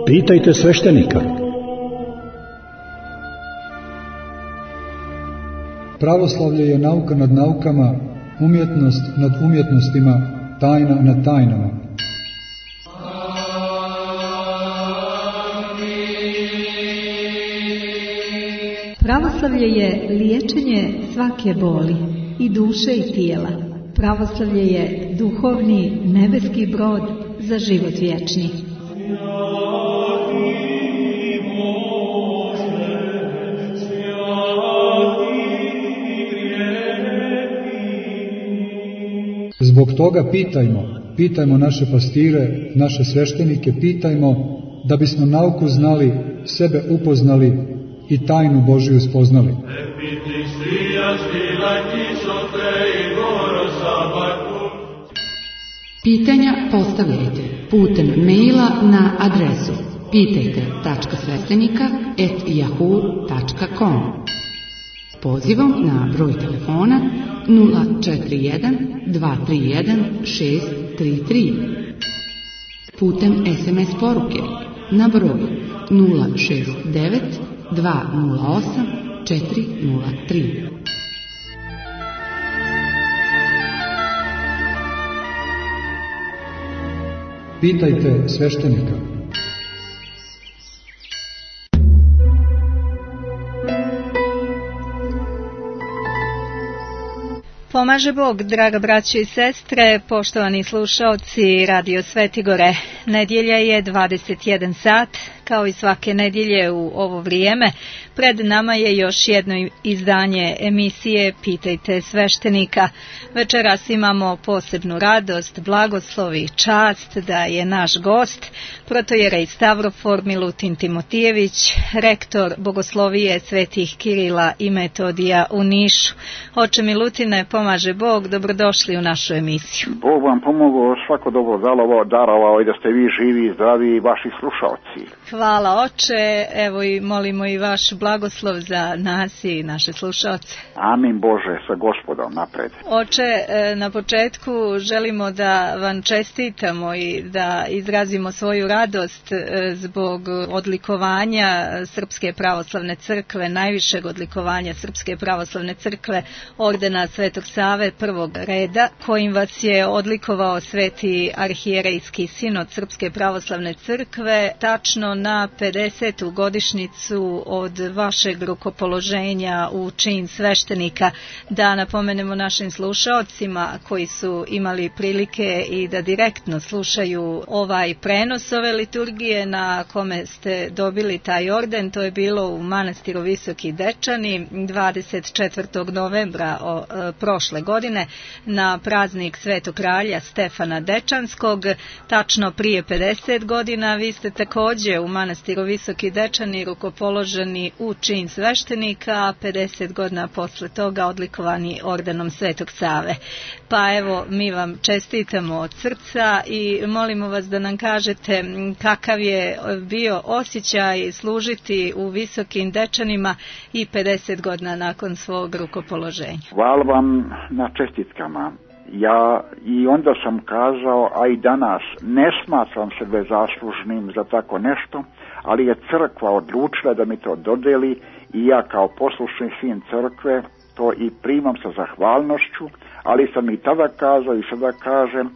Pitajte sveštenika. Pravoslavlje je nauka nad naukama, umjetnost nad umjetnostima, tajna nad tajnama. Pravoslavlje je liječenje svake boli, i duše i tijela. Pravoslavlje je duhovni nebeski brod za život vječni. Zbog toga pitajmo naše pastire, naše sveštenike, pitajmo da bismo nauku znali, sebe upoznali i tajnu Božiju spoznali. Pitanja postavljajte putem maila na adresu pitajte.sveštenika@yahoo.com. Pozivom na broj telefona 041 231 633. Putem SMS poruke na broj 069 208 403. Pitajte sveštenika. Pomaže Bog, draga braćo i sestre, poštovani slušaoci Radio Svetigore. Nedjelja je 21 sat, kao i svake nedjelje u ovo vrijeme. Pred nama je još jedno izdanje emisije Pitajte sveštenika. Večeras imamo posebnu radost, blagoslov i čast da je naš gost protojerej Stavrofor Milutin Timotijević, rektor Bogoslovije Svetih Kirila i Metodija u Nišu. Oče Milutine, pomaže Bog, dobrodošli u našu emisiju. Bog vam pomogao, svako dobro darovao i da ste vi živi i zdravi i vaši slušalci. Hvala oče, evo i molimo i vaš blagoslov za nas i naše slušalce. Amin Bože, sa Gospodom napred. Oče, na početku želimo da vam čestitamo i da izrazimo svoju radost zbog odlikovanja Srpske pravoslavne crkve, najvišeg odlikovanja Srpske pravoslavne crkve, ordena Svetog Save prvog reda, kojim vas je odlikovao Sveti arhijerejski sinod Srpske pravoslavne crkve, tačno na 50. godišnjicu od vašeg rukopoloženja u čin sveštenika. Da napomenemo našim slušaocima koji su imali prilike i da direktno slušaju ovaj prenos ove liturgije na kome ste dobili taj orden, to je bilo u manastiru Visoki Dečani 24. novembra prošle godine na praznik Svetog kralja Stefana Dečanskog. Tačno prije 50 godina vi ste također u manastiru Visoki Dečani rukopoloženi u čin sveštenika, a 50 godina posle toga odlikovani ordenom Svetog Save. Pa evo, mi vam čestitamo od srca i molimo vas da nam kažete kakav je bio osjećaj služiti u Visokim Dečanima i 50 godina nakon svog rukopoloženja. Hvala vam na čestitkama. Ja i onda sam kazao, a i danas ne smatram sebe zaslužnim za tako nešto, ali je crkva odlučila da mi to dodeli i ja kao poslušni sin crkve to i primam sa zahvalnošću, ali sam i tada kazao i sada kažem,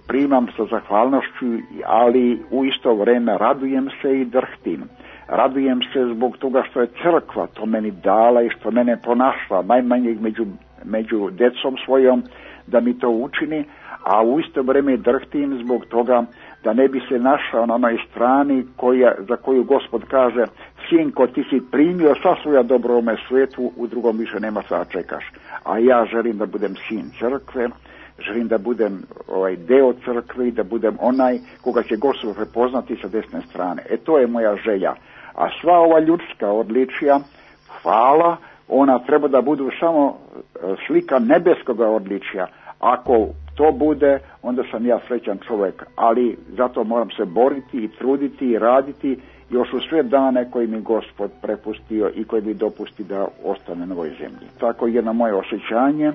primam sa zahvalnošću, ali u isto vrijeme radujem se i drhtim. Radujem se zbog toga što je crkva to meni dala i što mene pronašla, najmanje među decom svojom, da mi to učini, a u isto vrijeme drhtim zbog toga da ne bi se našao na onoj strani za koju Gospod kaže: sinko, ti si primio sva svoja dobro u ovome svijetu, u drugom više nema šta čekaš. A ja želim da budem sin crkve, želim da budem deo crkve i da budem onaj koga će Gospod prepoznati sa desne strane. To je moja želja. A sva ova ljudska odličja, hvala, ona treba da budu samo slika nebeskoga odličja. Ako to bude, onda sam ja srećan čovjek, ali zato moram se boriti i truditi i raditi još u sve dane koji mi Gospod prepustio i koji mi dopusti da ostane na ovoj zemlji. Tako je jedno moje osjećanje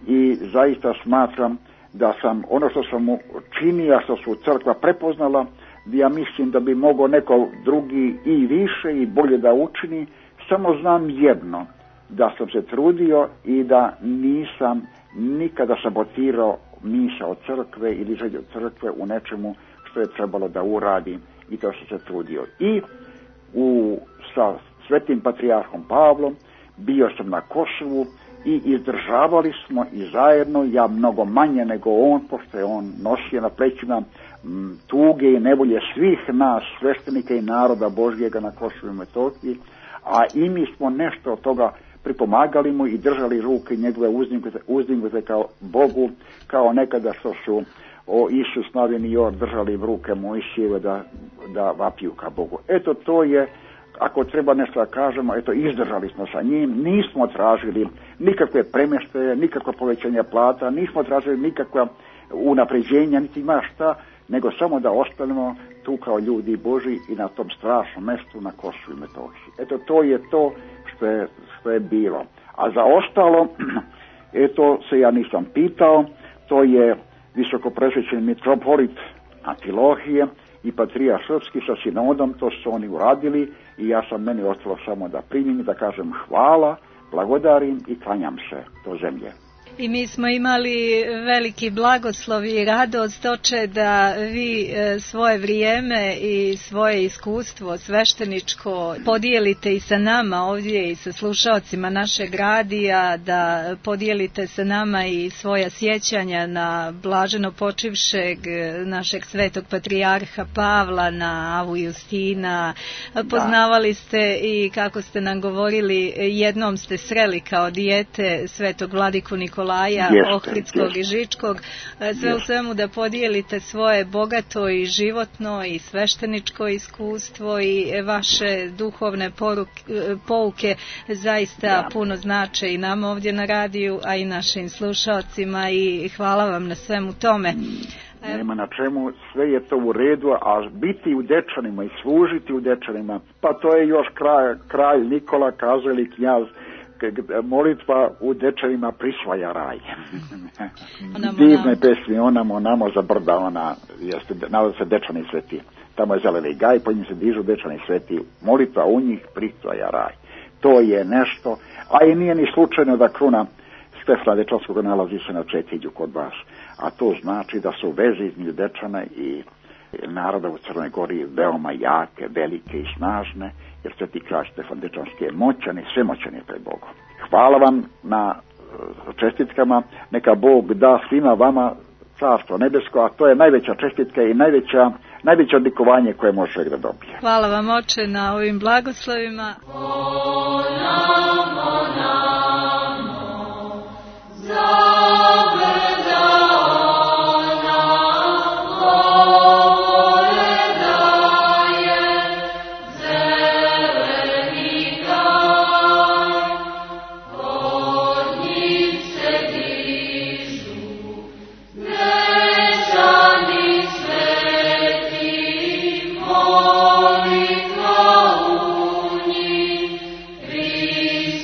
i zaista smatram da sam ono što sam mu činio, što su crkva prepoznala, ja mislim da bi mogao neko drugi i više i bolje da učini. Samo znam jedno, da sam se trudio i da nisam nikada sabotirao misao crkve ili želju crkve u nečemu što je trebalo da uradim i to što se trudio. I sa Svetim patrijarhom Pavlom bio sam na Kosovu i izdržavali smo i zajedno, ja mnogo manje nego on, pošto je on nosio na plećima tuge i nevolje svih nas, sveštenika i naroda Božjega na Kosovu i Metohiji, a i mi smo nešto od toga pripomagali mu i držali ruke njegove uzdignute kao Bogu, kao nekada što su Isus Novin i Jor držali ruke Mojsijeve da vapiju ka Bogu. Eto, to je, ako treba nešto da kažemo, eto, izdržali smo sa njim, nismo tražili nikakve premještaje, nikakva povećanja plata, nismo tražili nikakva unapređenja, niti ima šta, nego samo da ostanemo tu kao ljudi Boži i na tom strašnom mestu na Kosovu i Metohiji. Eto, to je to što je bilo. A za ostalo, eto, se ja nisam pitao, to je visokopresvećeni mitropolit Amfilohije i patrijarh srpski sa sinodom, to su oni uradili i ja sam, meni ostalo samo da primim, da kažem hvala, blagodarim i klanjam se do zemlje. I mi smo imali veliki blagoslov i radost, oče, da vi svoje vrijeme i svoje iskustvo svešteničko podijelite i sa nama ovdje i sa slušaocima našeg radija, da podijelite sa nama i svoja sjećanja na blaženo počivšeg našeg svetog patrijarha Pavla, na Avu Justina. Poznavali ste i, kako ste nam govorili, jednom ste sreli kao dijete svetog vladiku Nikolaja Ohridskog i Žičkog, sve u svemu da podijelite svoje bogato i životno i svešteničko iskustvo i vaše duhovne pouke zaista puno znače i nam ovdje na radiju, a i našim slušalcima, i hvala vam na svemu tome. Nema na čemu, sve je to u redu, a biti u Dečanima i služiti u Dečanima, pa to je još kralj Nikola kazao, ili knjaz, molitva u Dečanima prisvaja raj. Divne pesmi, onamo za brda, ona jeste, nalazi se Dečani sveti, tamo je zeleni gaj, po njim se dižu Dečani sveti, molitva u njih prisvaja raj. To je nešto, a i nije ni slučajno da kruna Stefana Dečanskog nalazi se na Četilju kod vas, a to znači da su veze između Dečana i naroda u Crnoj Gori veoma jake, velike i snažne, jer Sveti kralj Stefan Dečanski je moćan i svemoćan je pred Bogom. Hvala vam na čestitkama, neka Bog da svima vama carstvo nebesko, a to je najveća čestitka i najveće odlikovanje koje može čovjek da dobije. Hvala vam, oče, na ovim blagoslovima. Please.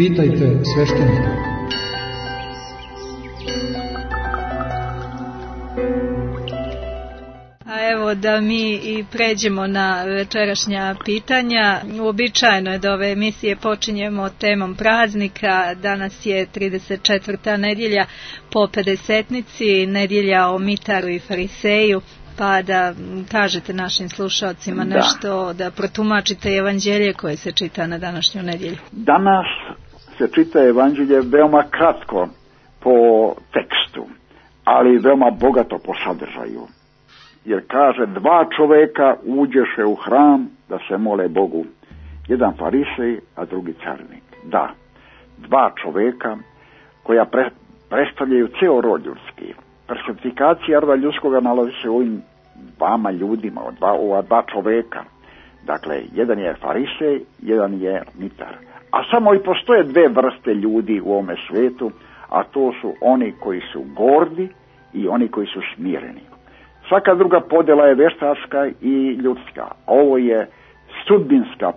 Pitajte sveštenika. Evo da mi i pređemo na večerašnja pitanja. Uobičajeno je da ove emisije počinjemo temom praznika. Danas je 34. nedjelja po Pedesetnici, nedjelja o Mitaru i Fariseju. Pa da kažete našim slušalcima nešto, da protumačite evanđelje koje se čita na današnju nedjelju. Danas se čita evanđelje veoma kratko po tekstu, ali veoma bogato po sadržaju. Jer kaže, 2 čoveka uđeše u hram da se mole Bogu. Jedan farisej, a drugi carinik. Da, 2 čoveka koja predstavljaju ceo rod ljudski. Personifikacija roda ljudskoga nalazi se u ovim 2 ljudima, ova 2 čoveka. Dakle, jedan je farisej, jedan je mitar. A samo i postoje 2 vrste ljudi u ovome svetu, a to su oni koji su gordi i oni koji su smireni. Svaka druga podjela je veštačka i ljudska. Ovo je sudbinska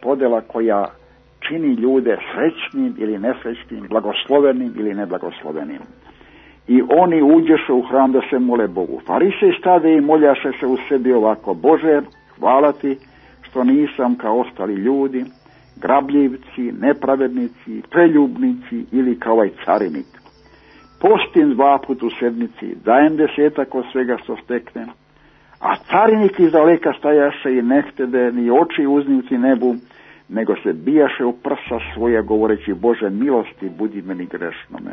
podjela koja čini ljude srećnim ili nesrećnim, blagoslovenim ili neblagoslovenim. I oni uđeše u hram da se mole Bogu. Farisej stade i moljaše se u sebi ovako: Bože, hvala ti što nisam kao ostali ljudi, grabljivci, nepravednici, preljubnici ili kao ovaj carinik. Postim 2 puta u sedmici, dajem 10 od svega što steknem. A carinik iz daleka stajaše i ne htede ni oči uznivci nebu, nego se bijaše u prsa svoja govoreći: Bože milosti, budi meni grešnome.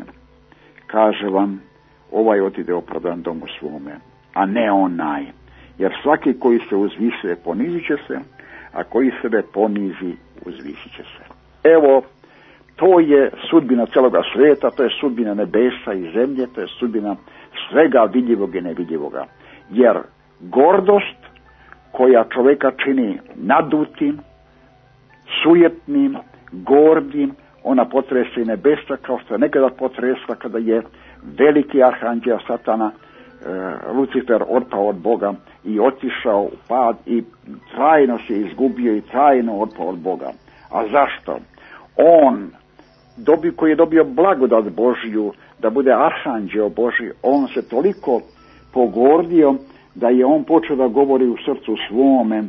Kaže vam, ovaj otide opravdan domu svome, a ne onaj. Jer svaki koji se uzvisuje ponizit će se, a koji sebe ponizi uzvisit će se. Evo, to je sudbina celoga svijeta, to je sudbina nebesa i zemlje, to je sudbina svega vidljivog i nevidljivoga. Jer gordost koja čovjeka čini nadutim, sujetnim, gordim, ona potresa i nebesa kao što je nekada potresla kada je veliki arhanđel Satana, Lucifer, otpao od Boga i otišao u pad i trajno se izgubio i trajno otpao od Boga. A zašto? On, koji je dobio blagodat Božju da bude arhanđeo Božji, on se toliko pogordio da je on počeo da govori u srcu svome: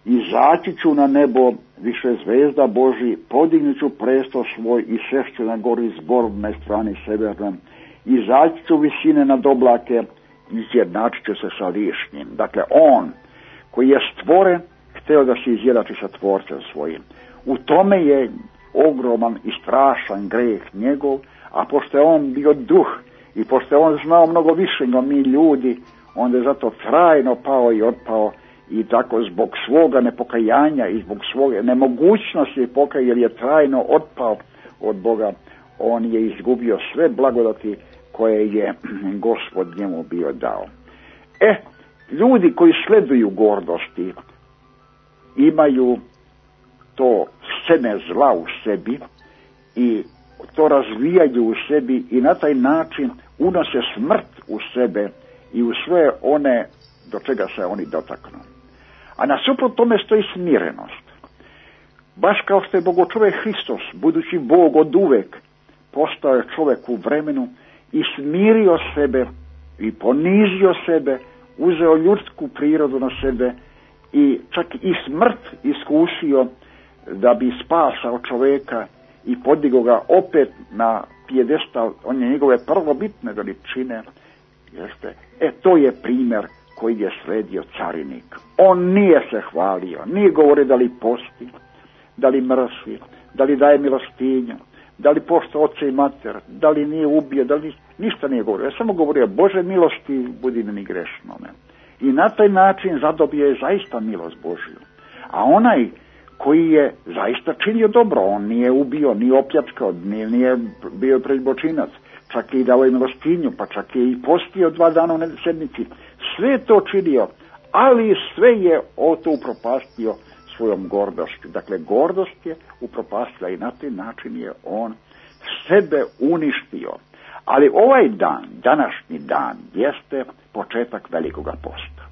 izaći ću na nebo više zvezda Božji, podignut ću presto svoj i sešću na gori zborne strani severne, izaći ću visine nad oblake, izjednačit ću se sa višnjim. Dakle, on koji je stvoren, hteo da se izjednači sa tvorcem svojim. U tome je ogroman i strašan greh njegov, a pošto je on bio duh i pošto je on znao mnogo više nego mi ljudi, onda je zato trajno pao i otpao. I tako zbog svoga nepokajanja i zbog svoje nemogućnosti pokaja, jer je trajno otpao od Boga, on je izgubio sve blagodati koje je Gospod njemu bio dao. Ljudi koji sleduju gordosti imaju to seme zla u sebi i to razvijaju u sebi i na taj način unose smrt u sebe i u sve one do čega se oni dotaknu. A nasuprot tome stoji smirenost. Baš kao što je Bogočovjek Hristos, budući Bog od uvek, postao je čovjek u vremenu i smirio sebe i ponizio sebe, uzeo ljudsku prirodu na sebe i čak i smrt iskusio da bi spasao čovjeka i podigao ga opet na pijedestal, on je njegove prvobitne veličine. To je primjer koji je sledio carinik. On nije se hvalio, nije govorio da li posti, da li mrsi, da li daje milostinju, da li pošta oca i mater, da li nije ubio, da li ništa nije govorio. Ja samo govorio: Bože milosti, budi meni grešnome. I na taj način zadobio je zaista milost Božju. A onaj koji je zaista činio dobro, on nije ubio, nije opljačkao, nije bio pređbočinac, čak i dao je milostinju, pa čak je i postio 2 dana u sedmici. Sve je to činio, ali sve je to upropastio svojom gordošću. Dakle, gordost je upropastila i na taj način je on sebe uništio. Ali ovaj dan, današnji dan, jeste početak velikoga posta.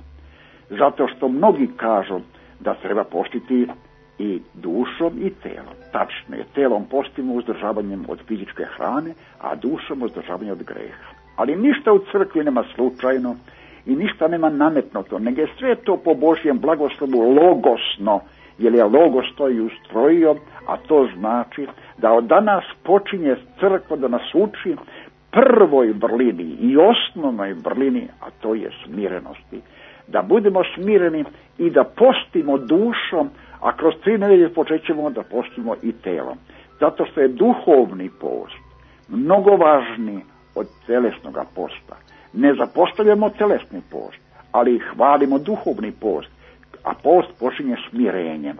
Zato što mnogi kažu da treba postiti i dušom i telom. Tačno je, telom postimo uzdržavanjem od fizičke hrane, a dušom uzdržavanjem od greha. Ali ništa u crkvi nema slučajno i ništa nema nametnuto, nego je sve to po Božjem blagoslovu logosno, jer je logos to i ustrojio, a to znači da od danas počinje crkva da nas uči prvoj vrlini i osnovnoj vrlini, a to je smirenosti. Da budemo smireni i da postimo dušom, a kroz 3 nedelje počećemo da postimo i telom. Zato što je duhovni post mnogo važniji od telesnog posta. Ne zapostavljamo telesni post, ali hvalimo duhovni post, a post počinje smirenjem.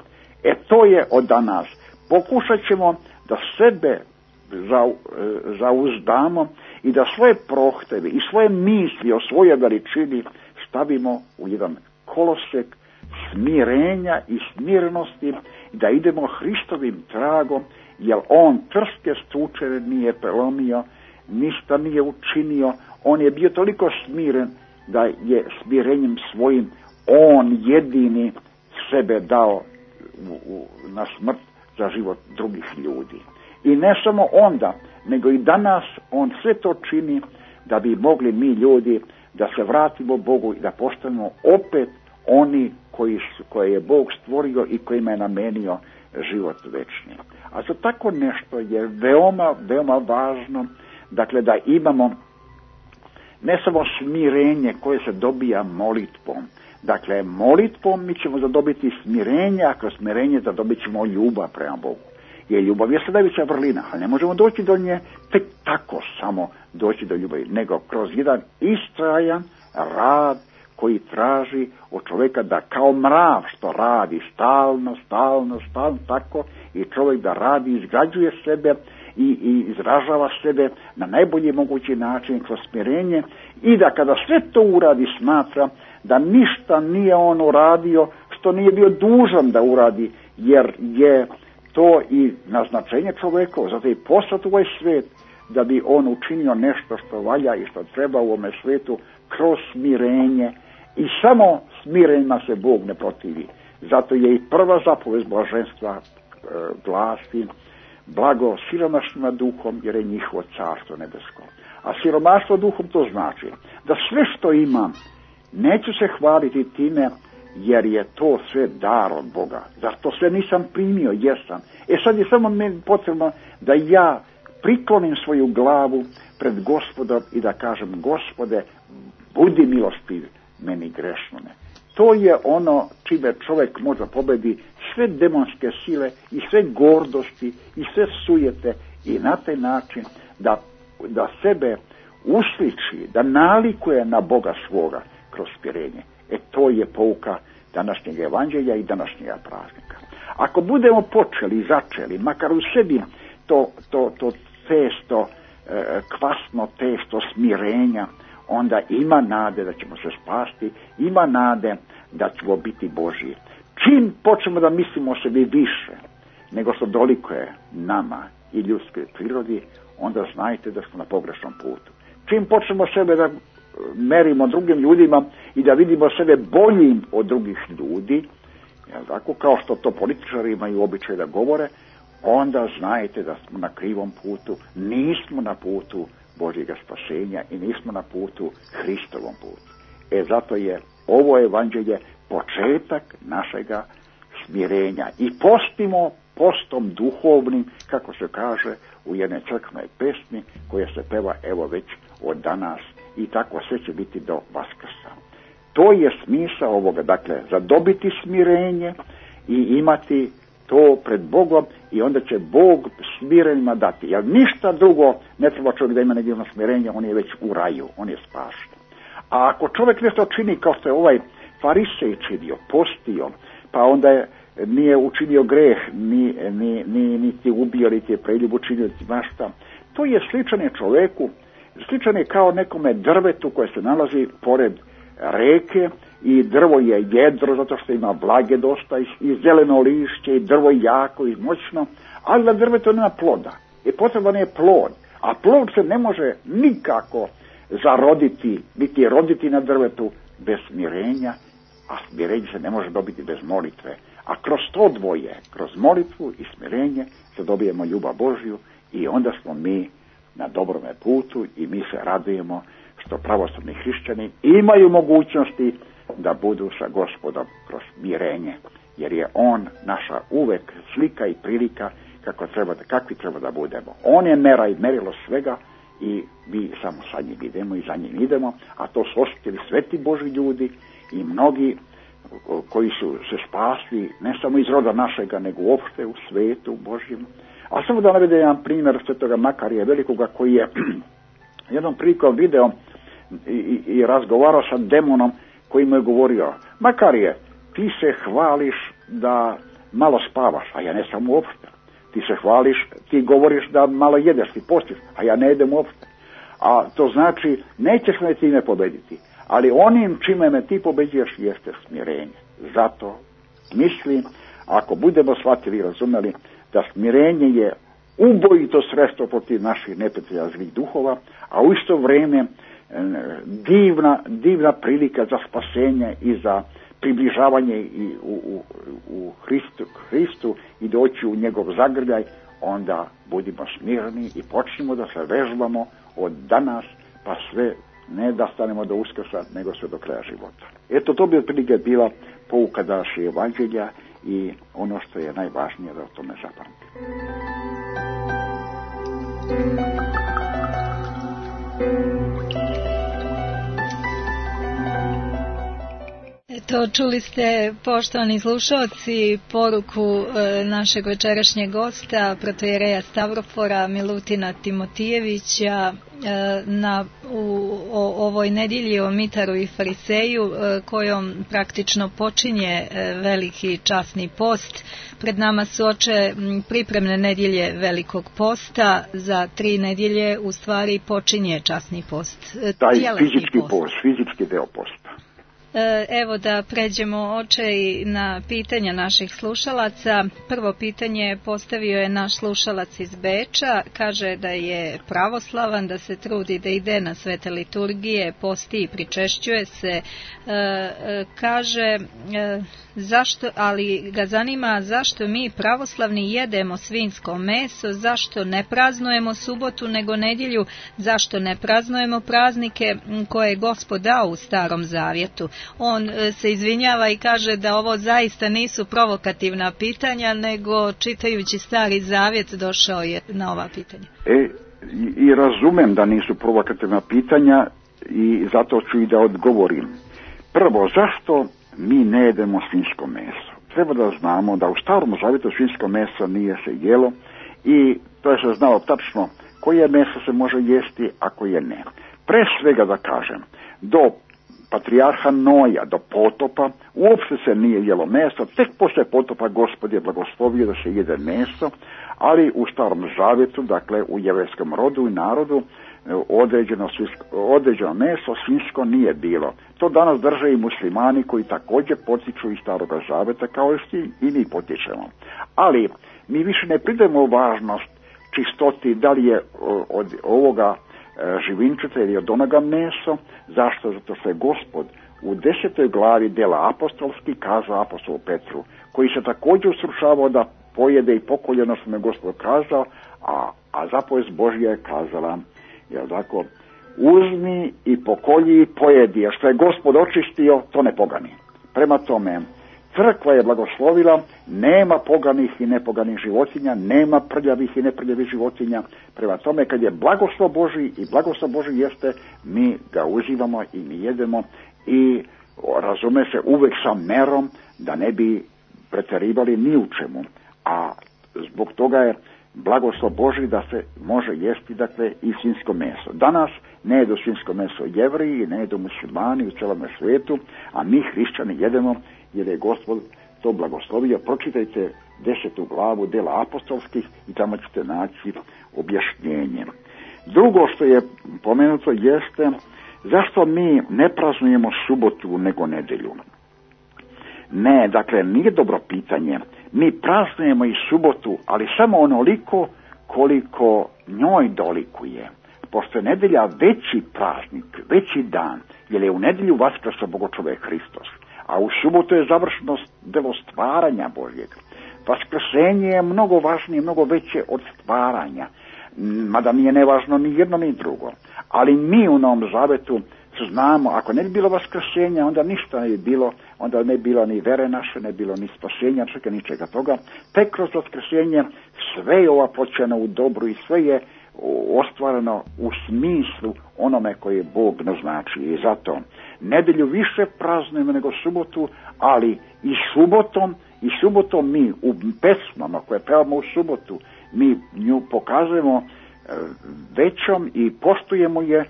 To je od danas. Pokušat ćemo da sebe zauzdamo i da svoje prohteve i svoje misli o svojoj veličini stavimo u jedan kolosek smirenja i smirenosti, da idemo Hristovim tragom, jer on trske stučere nije prelomio, ništa nije učinio, on je bio toliko smiren da je smirenjem svojim on jedini sebe dao na smrt za život drugih ljudi. I ne samo onda, nego i danas on sve to čini da bi mogli mi ljudi da se vratimo Bogu i da postanemo opet oni koje je Bog stvorio i kojima je namenio život večni. A za tako nešto je veoma, veoma važno, dakle, da imamo ne samo smirenje koje se dobija molitvom. Dakle, molitvom mi ćemo zadobiti smirenje, a kroz smirenje zadobit ćemo ljubav prema Bogu. Jer ljubav je najveća vrlina, ali ne možemo doći do nje tek tako samo doći do ljubavi, nego kroz jedan istrajan rad koji traži od čovjeka da kao mrav što radi stalno, tako i čovjek da radi, izgrađuje sebe i izražava sebe na najbolji mogući način kroz smirenje i da kada sve to uradi smatra da ništa nije on uradio što nije bio dužan da uradi, jer je to i naznačenje čovjeka, zato je poslat u ovaj svijet da bi on učinio nešto što valja i što treba u ovome svijetu kroz smirenje i samo smirenjima se Bog ne protivi. Zato je i prva zapovest blaženstva glasi blago siromašnima duhom jer je njihovo carstvo nebesko. A siromaštvo duhom to znači da sve što imam neću se hvaliti time jer je to sve dar od Boga. Zar to sve nisam primio? Jesam. Sad je samo meni potrebno da ja priklonim svoju glavu pred Gospodom i da kažem: Gospode, budi milostiv meni grešnome. To je ono čime čovjek može pobedi sve demonske sile i sve gordosti i sve sujete i na taj način da sebe usliči, da nalikuje na Boga svoga kroz smirenje. To je pouka današnjeg evanđelja i današnjega praznika. Ako budemo počeli i začeli, makar u sebi to testo, kvasno testo smirenja, onda ima nade da ćemo se spasti, ima nade da ćemo biti Božji. Čim počnemo da mislimo o sebi više nego što dolikuje nama i ljudskoj prirodi, onda znajte da smo na pogrešnom putu. Čim počnemo sebe da merimo drugim ljudima i da vidimo sebe boljim od drugih ljudi, tako kao što to političari imaju običaj da govore, onda znajte da smo na krivom putu, nismo na putu Božjega spasenja i nismo na putu Hristovom putu. Zato je ovo evanđelje početak našega smirenja i postimo postom duhovnim, kako se kaže u jednoj crkvenoj pesmi koja se peva evo već od danas i tako sve će biti do Vaskrsa. To je smisao ovoga, dakle, zadobiti smirenje i imati to pred Bogom i onda će Bog smirenjima dati. Jer ništa drugo ne treba čovjek da ima nedjelno smirenje, on je već u raju, on je spašen. A ako čovjek nešto čini kao što je ovaj farisej činio, postio, pa onda nije učinio greh, niti ubio, niti je preljub učinio, niti mašta, to je sličan je čovjeku, sličan je kao nekome drvetu koje se nalazi pored reke i drvo je jedro zato što ima vlage dosta i zeleno lišće i drvo je jako i moćno, ali na drvetu nema ploda. Potreban je plod, a plod se ne može nikako zaroditi, niti roditi na drvetu bez smirenja, a smirenje se ne može dobiti bez molitve. A kroz to dvoje, kroz molitvu i smirenje, zadobijemo ljubav Božju i onda smo mi na dobrome putu i mi se radujemo što pravoslavni hrišćani imaju mogućnosti da budu sa Gospodom kroz mirenje, jer je on naša uvek slika i prilika kakvi treba da budemo. On je mera i merilo svega i mi samo sa njim idemo i za njim idemo, a to su osjetili sveti Božji ljudi i mnogi koji su se spasli ne samo iz roda našega, nego uopšte u svetu Božjem. A samo da navedem jedan primjer svetoga Makarija Velikoga, koji je jednom prilikom video i razgovarao sa demonom koji mu je govorio: Makarije, ti se hvališ da malo spavaš, a ja ne sam uopšte. Ti se hvališ, ti govoriš da malo jedeš, ti postiš, a ja ne jedem uopšte. A to znači, nećeš me time pobediti, ali onim čime me ti pobeđuješ jeste smirenje. Zato mislim, ako budemo shvatili i razumeli da smirenje je ubojito sredstvo protiv naših neprijatelja zlih duhova, a u isto vrijeme divna prilika za spasenje i za približavanje i u Hristu i doći u njegov zagrljaj, onda budimo smirni i počnemo da se vežbamo od danas pa sve, ne da stanemo do Uskrsa, nego sve do kraja života. Eto, to bi otprilike bila pouka naše evanđelja i ono što je najvažnije da o tome zapamtimo. Eto, čuli ste, poštovani slušalci, poruku našeg večerašnjeg gosta, protojereja Stavrofora Milutina Timotijevića o ovoj nedjelji o Mitaru i Fariseju, kojom praktično počinje veliki časni post. Pred nama su pripremne nedjelje Velikog posta, za 3 nedjelje u stvari počinje časni post. Taj fizički deo posta. Evo da pređemo i na pitanja naših slušalaca. Prvo pitanje postavio je naš slušalac iz Beča. Kaže da je pravoslavan, da se trudi da ide na svete liturgije, posti i pričešćuje se. Kaže zašto, ali ga zanima zašto mi pravoslavni jedemo svinjsko meso, zašto ne praznujemo subotu nego nedjelju, zašto ne praznujemo praznike koje je Gospod dao u Starom Zavjetu. On se izvinjava i kaže da ovo zaista nisu provokativna pitanja, nego čitajući Stari Zavjet došao je na ova pitanja. I razumem da nisu provokativna pitanja i zato ću i da odgovorim. Prvo, zašto mi ne jedemo svinjsko meso? Treba da znamo da u Starom Zavjetu svinjsko meso nije se jelo i to je se znalo tačno koje meso se može jesti, a koje ne. Pre svega da kažem, do patrijarha Noja, do potopa, uopšte se nije jelo meso, tek posle potopa Gospod je blagoslovio da se jede meso, ali u Starom Zavjetu, dakle u jevrejskom rodu i narodu, određeno meso svinjsko nije bilo. To danas drže i muslimani koji također potiču iz Staroga Zavjeta, kao i mi potičemo. Ali mi više ne pridajemo važnost čistoti, da li je od ovoga živinčeta ili od onoga meso. Zašto? Zato što je Gospod u 10. glavi dela apostolski kazao apostolu Petru, koji se također usrušavao da pojede i pokolje ono što mu je Gospod kazao, a zapovest Božja je kazala, jel tako, uzmi i pokolji i pojedi, a što je Gospod očistio, to ne pogani. Prema tome, crkva je blagoslovila, nema poganih i nepoganih životinja, nema prljavih i neprljavih životinja. Prema tome, kad je blagoslov Božji i blagoslov Božji jeste, mi ga uživamo i mi jedemo i razume se uvek sa merom da ne bi pretjerivali ni u čemu. A zbog toga je blagoslov Božji da se može jesti, dakle, i svinjsko meso. Danas ne jedu svinjsko meso Jevreji, ne jedu muslimani u celom svijetu, a mi hrišćani jedemo jer je Gospod to blagoslovio. Pročitajte 10. glavu dela apostolskih i tamo ćete naći objašnjenje. Drugo što je pomenuto jeste zašto mi ne praznujemo subotu nego nedjelju. Ne, dakle, nije dobro pitanje. Mi praznujemo i subotu, ali samo onoliko koliko njoj dolikuje. Pošto je nedjelja veći praznik, veći dan, jer je u nedjelju vaskrso Bogočovek Hristos. a u subotu je završeno delo stvaranja Božjeg. Vaskrsenje je mnogo važnije, mnogo veće od stvaranja, mada nije nevažno ni jedno ni drugo. Ali mi u Novom Zavetu znamo, ako ne bi bilo vaskrsenja, onda ništa ne bi bilo, onda ne bi bilo ni vere naše, ne bi bilo ni spasenja, ničega toga. Tek kroz vaskrsenje sve je ovaploćeno u dobru i sve je ostvareno u smislu onome koje Bog naznači. I zato nedelju više praznujemo nego subotu, ali i subotom mi u pesmama koje pevamo u subotu, mi nju pokazujemo većom i poštujemo je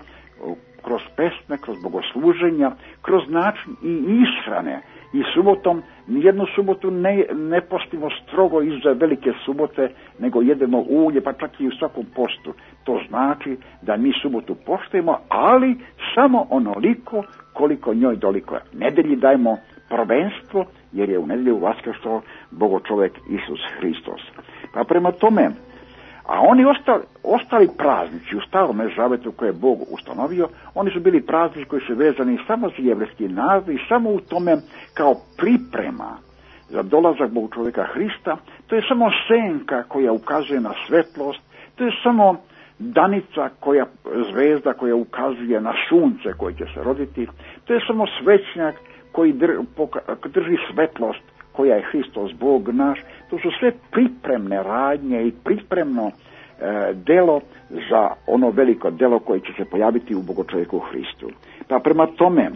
kroz pesme, kroz bogosluženja, kroz način i ishrane. I subotom, nijednu subotu ne postimo strogo iza velike subote, nego jedemo ulje, pa čak i u svakom postu. To znači da mi subotu poštujemo, ali samo onoliko koliko njoj doliko. Nedelji dajemo prvenstvo, jer je u nedelju vaskrstao Bogo čovjek Isus Hristos. Pa prema tome, a oni ostali praznici u Starome Zavetu koje je Bog ustanovio, oni su bili praznici koji su vezani samo za jevrejski narod i samo u tome kao priprema za dolazak Boga čovjeka Hrista. To je samo senka koja ukazuje na svetlost, to je samo danica zvezda koja ukazuje na sunce koje će se roditi, to je samo svećnjak koji drži svetlost koja je Hristos Bog naš. To su sve pripremne radnje i pripremno delo za ono veliko delo koje će se pojaviti u Bogočovjeku Hristu. Pa prema tome,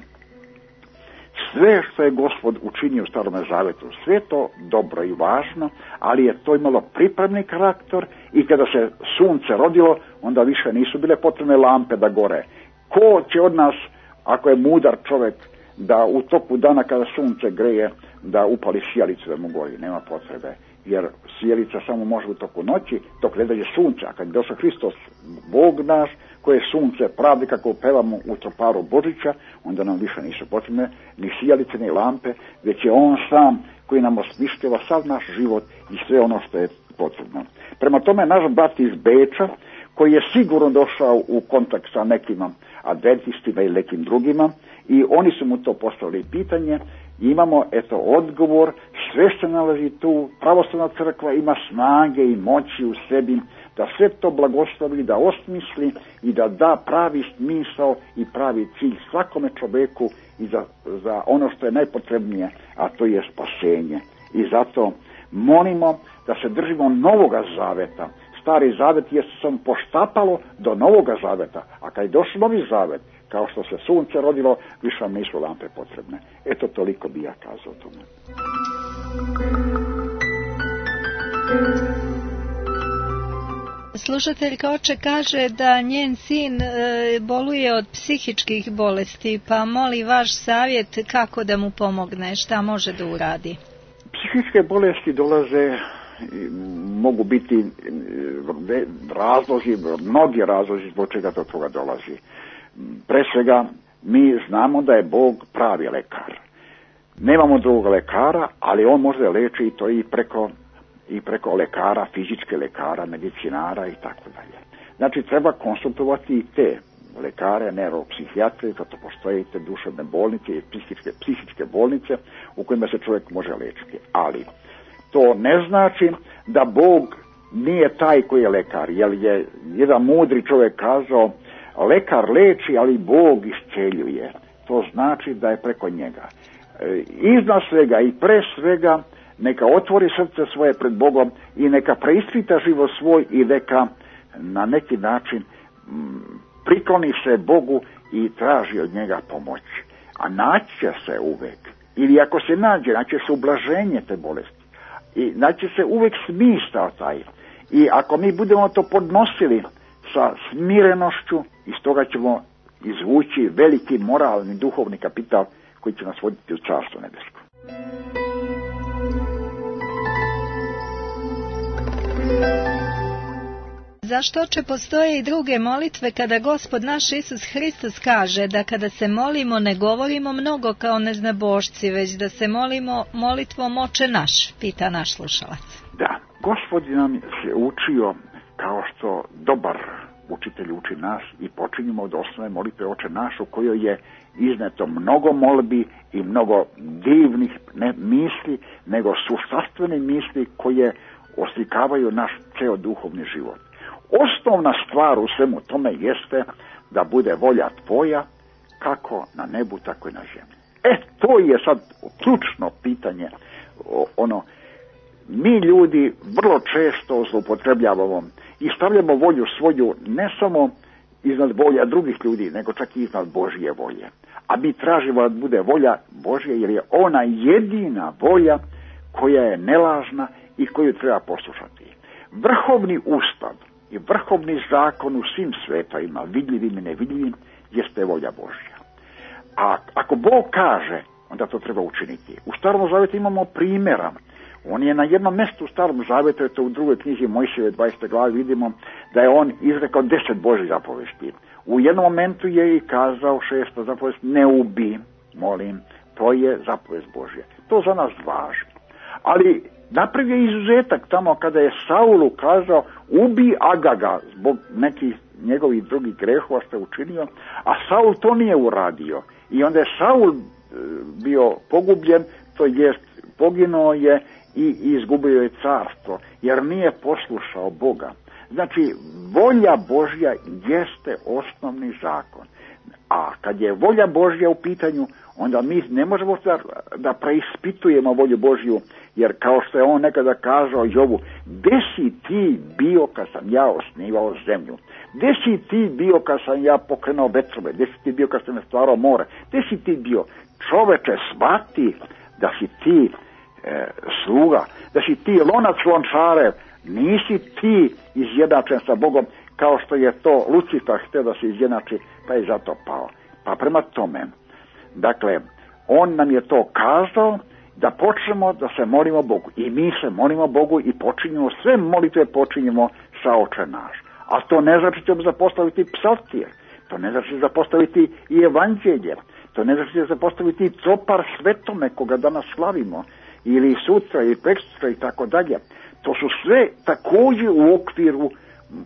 sve što je Gospod učinio u Starome Zavetu, sve to dobro i važno, ali je to imalo pripremni karakter i kada se sunce rodilo, onda više nisu bile potrebne lampe da gore. Ko će od nas, ako je mudar čovjek, da u toku dana kada sunce greje, da upali sijalicu da mu gori? Nema potrebe, jer sijalica samo može u toku noći, dok ne dođe sunce. A kad je došao Hristos, Bog naš, koje je sunce pravdi, kako pevamo u troparu Božića, onda nam više nisu potrebne ni sijalice, ni lampe, već je On sam koji nam osmišljava sav naš život i sve ono što je potrebno. Prema tome, naš brat iz Beča, koji je sigurno došao u kontakt sa nekim adventistima i nekim drugima, i oni su mu to postavili pitanje, i imamo odgovor, sve se nalazi tu, pravoslavna crkva ima snage i moći u sebi da sve to blagoslovi, da osmisli i da da pravi smisao i pravi cilj svakome čovjeku i za ono što je najpotrebnije, a to je spasenje. I zato molimo da se držimo Novoga Zaveta. Stari Zavet je samo poštapalo do Novoga Zaveta, a kad je došao Novi Zavet, kao što se sunce rodilo, više vam nisu lampe potrebne. Eto, toliko bi ja kazao tome. Slušateljka oče kaže da njen sin boluje od psihičkih bolesti, pa moli vaš savjet kako da mu pomogne, šta može da uradi. Psihičke bolesti dolaze, mogu biti razlozi, mnogi razlozi zbog čega do toga dolazi. Pre svega, mi znamo da je Bog pravi lekar. Nemamo drugog lekara, ali On može leči i to i preko lekara, fizičke lekara, medicinara i tako dalje. Znači, treba konsultovati i te lekare, neuropsihijatre, zato postoje te duševne bolnice i psihičke bolnice u kojima se čovjek može lečiti. Ali to ne znači da Bog nije taj koji je lekar, jer je jedan mudri čovjek kazao, lekar leči, ali Bog isceljuje. To znači da je preko njega. Iznad svega i pre svega neka otvori srce svoje pred Bogom i neka preispita život svoj i neka na neki način prikloni se Bogu i traži od njega pomoć. A naći će se uvek, ili ako se nađe, naći se ublaženje te bolesti. I naći se uvek smisao taj. I ako mi budemo to podnosili sa smirenošću, iz toga ćemo izvući veliki moralni, duhovni kapital koji će nas voditi u Carstvo nebesko. Zašto oče postoje i druge molitve kada Gospod naš Isus Hristos kaže da kada se molimo ne govorimo mnogo kao neznabošci, već da se molimo molitvom Oče naš, pita naš slušalac. Da, Gospod nam se učio kao što dobar učitelj uči nas i počinjemo od osnove molitve Oče naš, u kojoj je izneto mnogo molbi i mnogo divnih ne misli, nego suštvene misli koje oslikavaju naš ceo duhovni život. Osnovna stvar u svemu tome jeste da bude volja tvoja kako na nebu, tako i na zemlji. To je sad ključno pitanje. Mi ljudi vrlo često zloupotrebljavamo i stavljamo volju svoju ne samo iznad volja drugih ljudi, nego čak i iznad Božje volje. A mi tražimo da bude volja Božje, jer je ona jedina volja koja je nelažna i koju treba poslušati. Vrhovni ustav i vrhovni zakon u svim svetovima, vidljivim i nevidljivim, jeste volja Božja. A ako Bog kaže, onda to treba učiniti. U Starom Zavetu imamo primjera. On je na jednom mjestu u Starom Zavetu, to u drugoj knjizi Mojsijeve 20. glavi vidimo da je on izrekao 10 Božjih zapovesti. U jednom momentu je i kazao 6. zapovest, ne ubi, molim, to je zapovest Božje. To za nas važi. Ali napravio je izuzetak tamo kada je Saulu kazao ubi Agaga zbog nekih njegovih drugih grehova što je učinio, a Saul to nije uradio. I onda je Saul bio pogubljen, to jest poginuo je i izgubio je carstvo, jer nije poslušao Boga. Znači, volja Božja jeste osnovni zakon. A kad je volja Božja u pitanju, onda mi ne možemo da preispitujemo volju Božju, jer kao što je on nekada kazao Jobu, gde si ti bio kad sam ja osnivao zemlju? Gde si ti bio kad sam ja pokrenuo vetrove? Gde si ti bio kad sam stvarao more? Gde si ti bio? Čoveče, shvati da si ti sluga, da si ti lonac lončarev, nisi ti izjednačen sa Bogom kao što je to Lucifer htio da se izjednači, pa je zato pao. Pa prema tome, dakle, on nam je to kazao da počnemo da se molimo Bogu. I mi se molimo Bogu i počinjemo, sve molitve počinjemo sa Oče naš. A to ne znači da ćemo zapostaviti psaltir, to ne znači zapostaviti i evanđelje, to ne znači zapostaviti copar svetome koga danas slavimo, ili sutra ili preksutra i tako dalje. To su sve također u okviru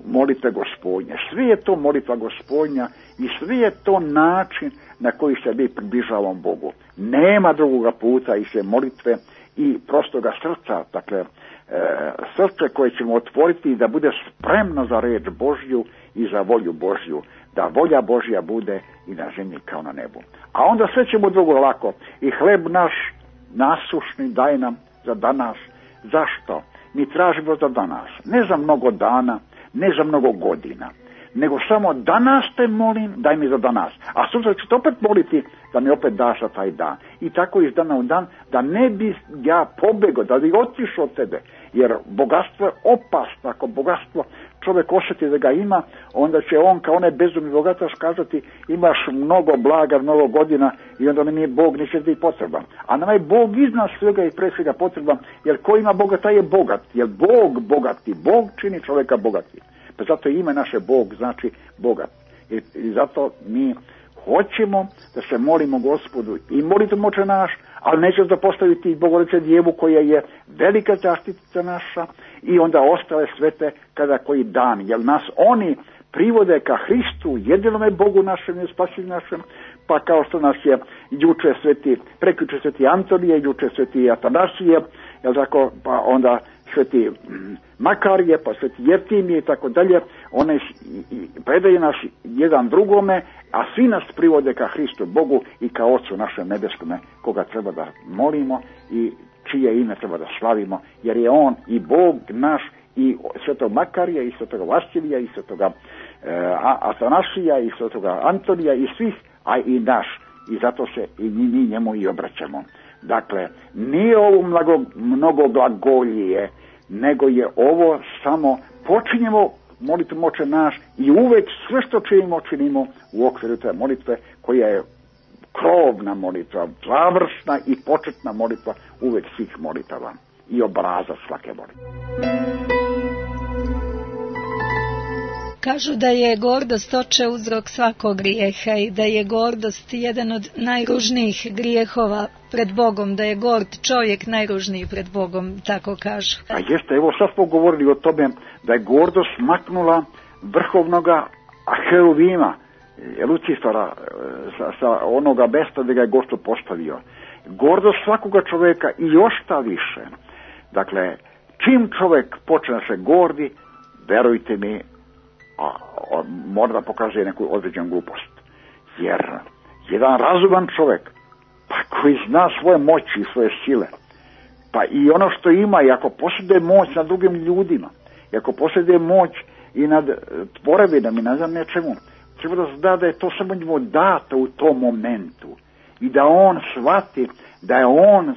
molitve Gospodnje. Sve je to molitva Gospodnja i sve je to način na koji se mi približavamo Bogu. Nema drugoga puta i sve molitve i prostoga srca, dakle srce koje ćemo otvoriti da bude spremno za reč Božju i za volju Božju, da volja Božja bude i na zemlji kao na nebu. A onda sve ćemo drugo lako. I hleb naš nasušni daj nam za danas. Zašto? Mi tražimo za danas, ne za mnogo dana, ne za mnogo godina, nego samo danas te molim, daj mi za danas. A sutra ću te opet moliti da mi opet daš za taj dan. I tako iz dana u dan, da ne bi ja pobegao, da bi otišao od tebe. Jer bogatstvo je opasno. Ako bogatstvo čovjek osjeti da ga ima, onda će on kao onaj bezumni bogataš kazati imaš mnogo blaga, mnogo godina i onda mi je Bog neće ti potreban. A nama je Bog iznad svega i pre svega potreban, jer ko ima Boga taj je bogat. Jer Bog bogati, Bog čini čovjeka bogati. Pa zato ime naše Bog znači bogat. I zato mi hoćemo da se molimo Gospodu i molitvom Oče naš, ali neće zapostaviti Bogorodice Djevu koja je velika zaštitica naša i onda ostale svete kada koji dan, jer nas oni privode ka Hristu, jedinome Bogu našem i Spasitelju našem, pa kao što nas je prekjuče sveti Antonije, juče sveti Atanasije, jel tako, pa onda sveti Makarije, pa sveti Jeftimije i tako dalje, one predaju nas jedan drugome, a svi nas privode ka Hristu Bogu i ka Otcu našem nebeskome, koga treba da molimo i čije ime treba da slavimo, jer je on i Bog naš i svetog Makarija i svetog Vasilija i svetoga Atanasija i svetoga Antonija i svih, a i naš. I zato se i mi njemu i obraćamo. Dakle, nije ovo mnogo glagolije, nego je ovo samo počinjemo molitvom Oče naš i uvek sve što činimo u okviru te molitve koja je krovna molitva, završna i početna molitva uvek svih molitava i obrazac svake molitve. Kažu da je gordost, oče, uzrok svakog grijeha i da je gordost jedan od najružnijih grijehova pred Bogom, da je gord čovjek najružniji pred Bogom, tako kažu. A jeste, evo sad smo govorili o tome da je gordost maknula vrhovnoga heruvima, Lucifera, sa onoga mesta gdje ga je Gospod postavio. Gordost svakoga čovjeka i još šta više. Dakle, čim čovjek počne da se gordi, verujte mi, mora da pokazuje neku određenu glupost. Jer jedan razuman čovjek, pa koji zna svoje moći i svoje sile, pa i ono što ima, i ako posjeduje moć nad drugim ljudima, i ako posjeduje moć i nad tvorevinama i ne znam nečemu, treba da zna da je to samo njemu dato u tom momentu i da on shvati da je on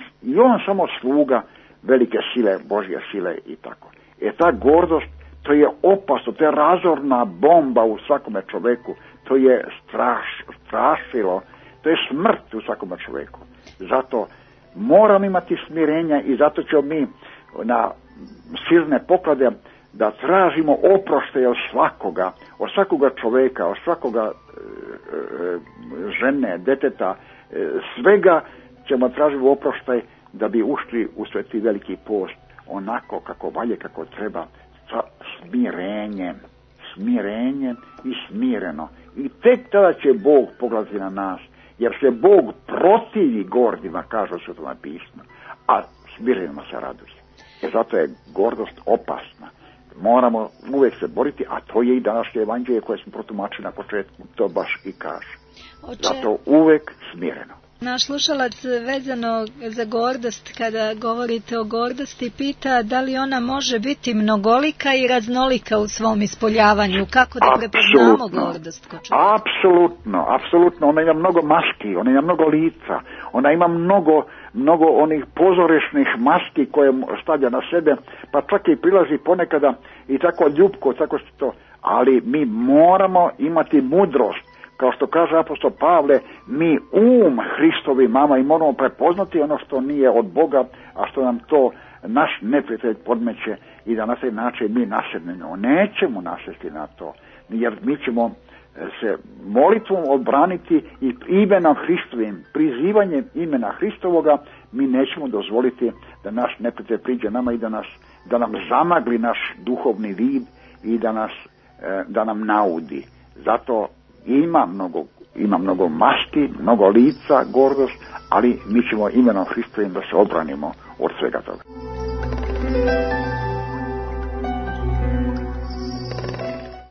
samo sluga velike sile, Božje sile i tako. Ta gordost, to je opasno, to je razorna bomba u svakome čovjeku, to je strašilo, to je smrt u svakome čovjeku. Zato moramo imati smirenja i zato ćemo mi na silne poklade da tražimo oproštaj od svakoga čovjeka, od svakoga žene, deteta, svega ćemo tražiti oproštaj da bi ušli u sveti veliki post onako kako valje, kako treba, sa smirenjem i smireno. I tek tada će Bog pogledati na nas, jer se Bog protivi gordima, kaže u Svetom pismu, a smirenima se raduje. Zato je gordost opasna. Moramo uvijek se boriti, a to je i današnje evanđelje koje smo protumačili na početku, to baš i kaže. Zato uvijek smireno. Naš slušalac vezano za gordost, kada govorite o gordosti, pita da li ona može biti mnogolika i raznolika u svom ispoljavanju, kako da prepoznamo gordost kod čovjeka? Apsolutno, ona ima mnogo maski, ona ima mnogo lica, ona ima mnogo onih pozorišnih maski koje stavlja na sebe, pa čak i prilazi ponekada i tako ljubko, tako što to, ali mi moramo imati mudrost. Kao što kaže apostol Pavle, mi Hristovi mama i moramo prepoznati ono što nije od Boga, a što nam to naš neprijatelj podmeće i da na taj način mi nasednemo. Nećemo nasesti na to, jer mi ćemo se molitvom odbraniti i imenom Hristovim, prizivanjem imena Hristovoga, mi nećemo dozvoliti da naš neprijatelj priđe nama i da nam zamagli naš duhovni vid i da nam naudi. Zato ima mnogo maski, mnogo lica, gordost, ali mi ćemo imenom Hristovim da se obranimo od svega toga.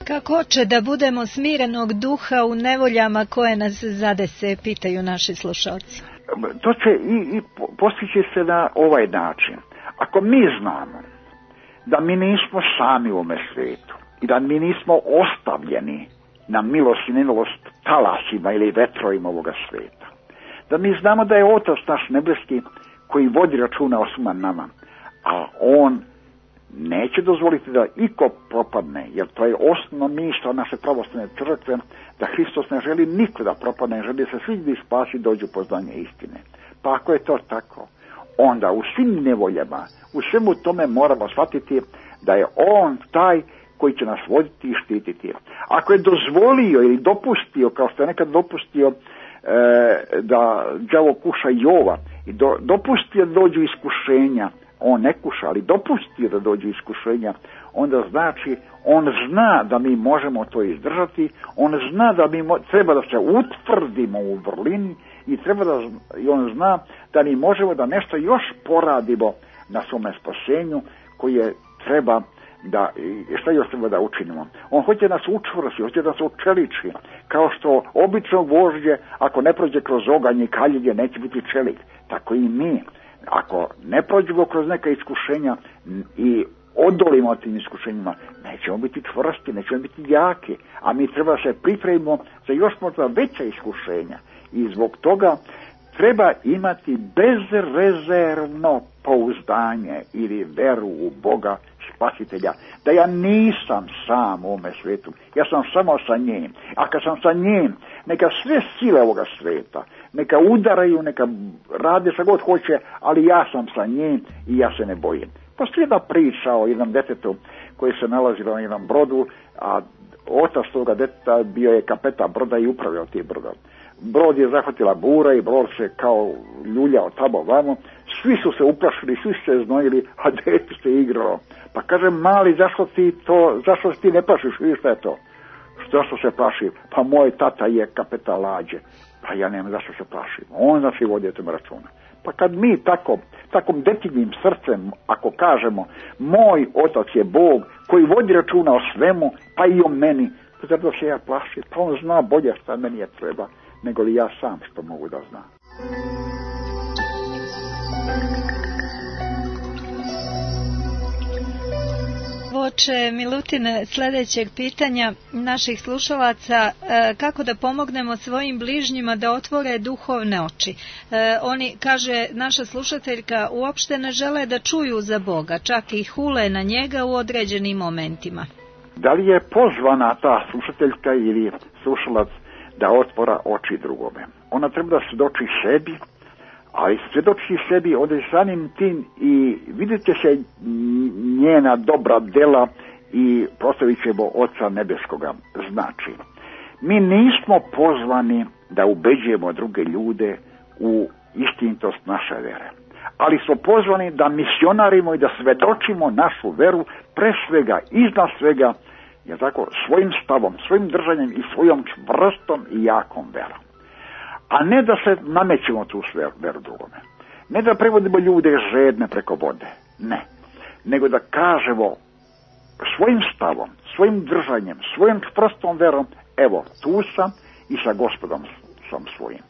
Kako će da budemo smirenog duha u nevoljama koje nas zadese, pitaju naši slušalci. To će i postići se na ovaj način. Ako mi znamo da mi nismo sami u ovome svijetu i da mi nismo ostavljeni na milost i nemilost talasima ili vetrovima ovoga svijeta, da mi znamo da je Otac naš nebeski koji vodi računa o svima nama, a On neće dozvoliti da iko propadne, jer to je osnovno misao naše pravoslavne crkve, da Hristos ne želi niko da propadne, ne želi se svi da spasi dođu poznanje istine. Pa ako je to tako, onda u svim nevoljama, u svemu tome moramo shvatiti da je On taj koji će nas voditi i štititi. Ako je dozvolio ili dopustio, kao što je nekad dopustio da đavo kuša Jova i dopustio da dođu iskušenja, on ne kuša, ali dopustio da dođu iskušenja, onda znači on zna da mi možemo to izdržati, on zna da mi treba da se utvrdimo u vrlini i on zna da mi možemo da nešto još poradimo na svome spasenju koje treba šta još treba da učinimo. On hoće nas učvrsti, hoće da se učeliči, kao što obično gvožđe, ako ne prođe kroz oganj i kaljenje, neće biti čelik. Tako i mi. Ako ne prođemo kroz neka iskušenja i odolimo tim iskušenjima, nećemo biti čvrsti, nećemo biti jaki, a mi treba se pripremimo za još možda veća iskušenja. I zbog toga treba imati bezrezervno pouzdanje ili veru u Boga Spasitelja, da ja nisam sam u ovome svijetu, ja sam samo sa njim. A kad sam sa njim, neka sve sile ovoga svijeta, neka udaraju, neka rade šta god hoće, ali ja sam sa njim i ja se ne bojim. Postoji jedna priča o jednom detetu koji se nalazilo na jednom brodu, a otac toga deteta bio je kapetan broda i upravljao tim brodom. Brod je zahvatila bura i brod se kao ljuljao tamo vamo. Svi su se uplašili, svi su se znojili, a dete se igralo. Pa kaže, mali, zašto ti ne plašiš, vidiš šta je to? Zašto se plašim? Pa moj tata je kapetan lađe. Pa ja nemam zašto se plašim. On znači vodi o tome računa. Pa kad mi takom detinjim srcem, ako kažemo, moj otac je Bog koji vodi računa o svemu, pa i o meni, pa zato se ja plašim, pa on zna bolje šta meni je treba, nego li ja sam što mogu da znam. Voče Milutine, sljedećeg pitanja naših slušalaca, kako da pomognemo svojim bližnjima da otvore duhovne oči. Oni, kaže naša slušateljka, uopšte ne žele da čuju za Boga, čak i hule na njega u određenim momentima. Da li je pozvana ta slušateljka ili slušalac da otvora oči drugome? Ona treba da svjedoči sebi, ali svjedoči sebi onda je samim tim i vidite se njena dobra dela i proslavit ćemo Oca Nebeskoga. Znači, mi nismo pozvani da ubeđujemo druge ljude u istinitost naše vere, ali smo pozvani da misionarimo i da svjedočimo našu veru, pre svega, iznad svega, je tako, svojim stavom, svojim držanjem i svojom čvrstom i jakom verom. A ne da se namećemo tu veru drugome. Ne da prevodimo ljude žedne preko vode. Ne. Nego da kažemo svojim stavom, svojim držanjem, svojom čvrstom verom, evo, tu sam i sa Gospodom sam svojim.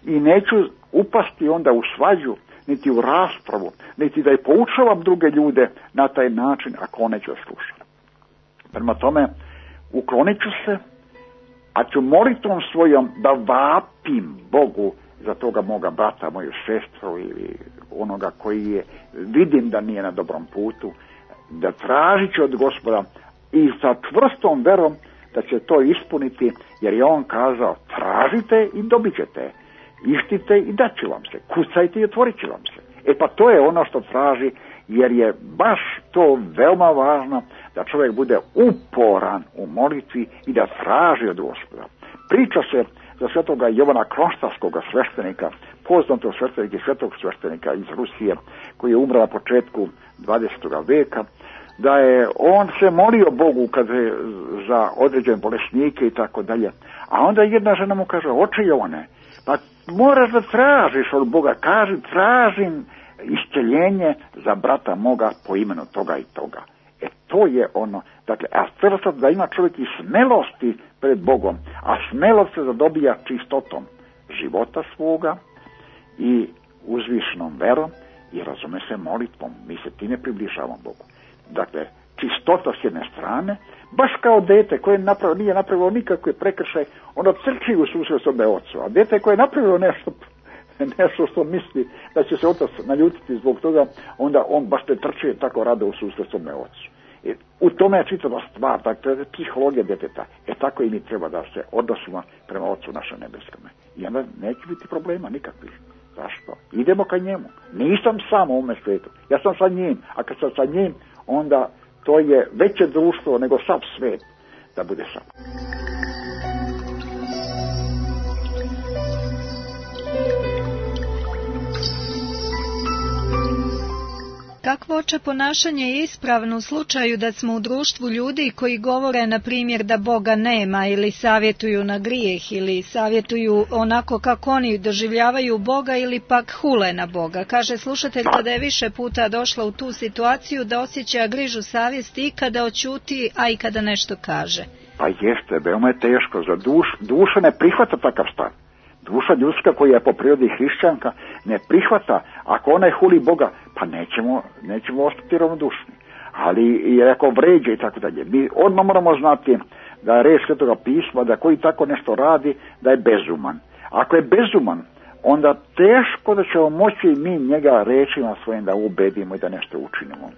I neću upasti onda u svađu, niti u raspravu, niti da je poučavam druge ljude na taj način ako on neće slušati. Prema tome, uklonit ću se, a ću molitvom svojom da vapim Bogu za toga moga brata, moju sestru ili onoga koji je, vidim da nije na dobrom putu, da tražit ću od Gospoda i sa čvrstom verom da će to ispuniti, jer je on kazao, tražite i dobit ćete, ištite i dat ću vam se, kucajte i otvorit ću vam se. Pa to je ono što traži, jer je baš to veoma važno da čovjek bude uporan u molitvi i da traži od Gospoda. Priča se za svetoga Jovana Kronštarskoga sveštenika, poznatog sveštenika i svetog sveštenika iz Rusije, koji je umro na početku 20. veka, da je on se molio Bogu kad je za određene bolesnike i tako dalje. A onda jedna žena mu kaže, oče Jovane, pa moraš da tražiš od Boga, kaži, tražim isceljenje za brata moga po imenu toga i toga. To je ono, dakle, a prvo da ima čovjek i smelosti pred Bogom, a smelost se zadobija čistotom života svoga i uzvišenom verom i razume se molitvom, mi se time približavamo Bogu. Dakle, čistota s jedne strane, baš kao dete koje nije napravilo nikakve prekršaj, ono trči u susret svome ocu, a dete koje je napravilo nešto što misli da će se otac naljutiti zbog toga, onda on baš ne trči tako rado u susret svome ocu. U tome je čitava stvar, dakle, to je psihologija djeteta. Tako i mi treba da se odnosimo prema Ocu našem nebeskome. I onda neće biti problema nikakvih. Zašto? Idemo ka njemu. Nisam sam u ovome svijetu. Ja sam sa njim. A kad sam sa njim, onda to je veće društvo nego sav svijet da bude sam. Kakvo oče ponašanje je ispravno u slučaju da smo u društvu ljudi koji govore, na primjer, da Boga nema ili savjetuju na grijeh ili savjetuju onako kako oni doživljavaju Boga ili pak hule na Boga? Kaže slušateljka da je više puta došla u tu situaciju da osjeća grižu savjesti i kada oćuti, a i kada nešto kaže. Pa jeste, veoma je teško. Za duša ne prihvata takav stav. Duša ljudska koja je po prirodi hrišćanka ne prihvata, ako ona huli Boga, pa nećemo ostati ravnodušni. Ali i ako vređe i tako dalje. Mi odmah moramo znati da je reč Svetoga pisma, da koji tako nešto radi, da je bezuman. Ako je bezuman, onda teško da ćemo moći mi njega rečima svojim da ubedimo i da nešto učinimo.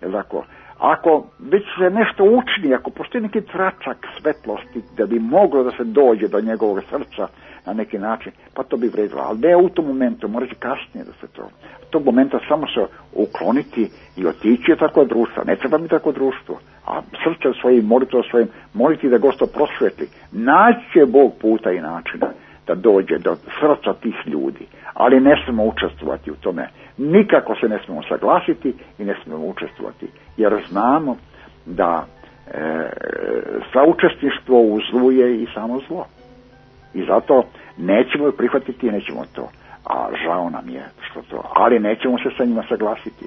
Jel tako? Ako već se nešto učini, ako postoji neki tračak svetlosti da bi moglo da se dođe do njegovog srca na neki način, pa to bi vredilo. Ali ne u tom momentu, mora će kasnije da se to. U tog momenta samo se ukloniti i otići je tako društvo. Ne treba mi tako društvo. a srce svojim, molitvom svojim, moliti da Gospod prosveti. Naći će Bog puta i načina da dođe do srca tih ljudi, ali ne smemo učestvovati u tome. Nikako se ne smemo saglasiti i ne smemo učestvovati, jer znamo da saučesništvo u zlu je i samo zlo. I zato nećemo prihvatiti i nećemo to. A žao nam je što to, ali nećemo se sa njima saglasiti.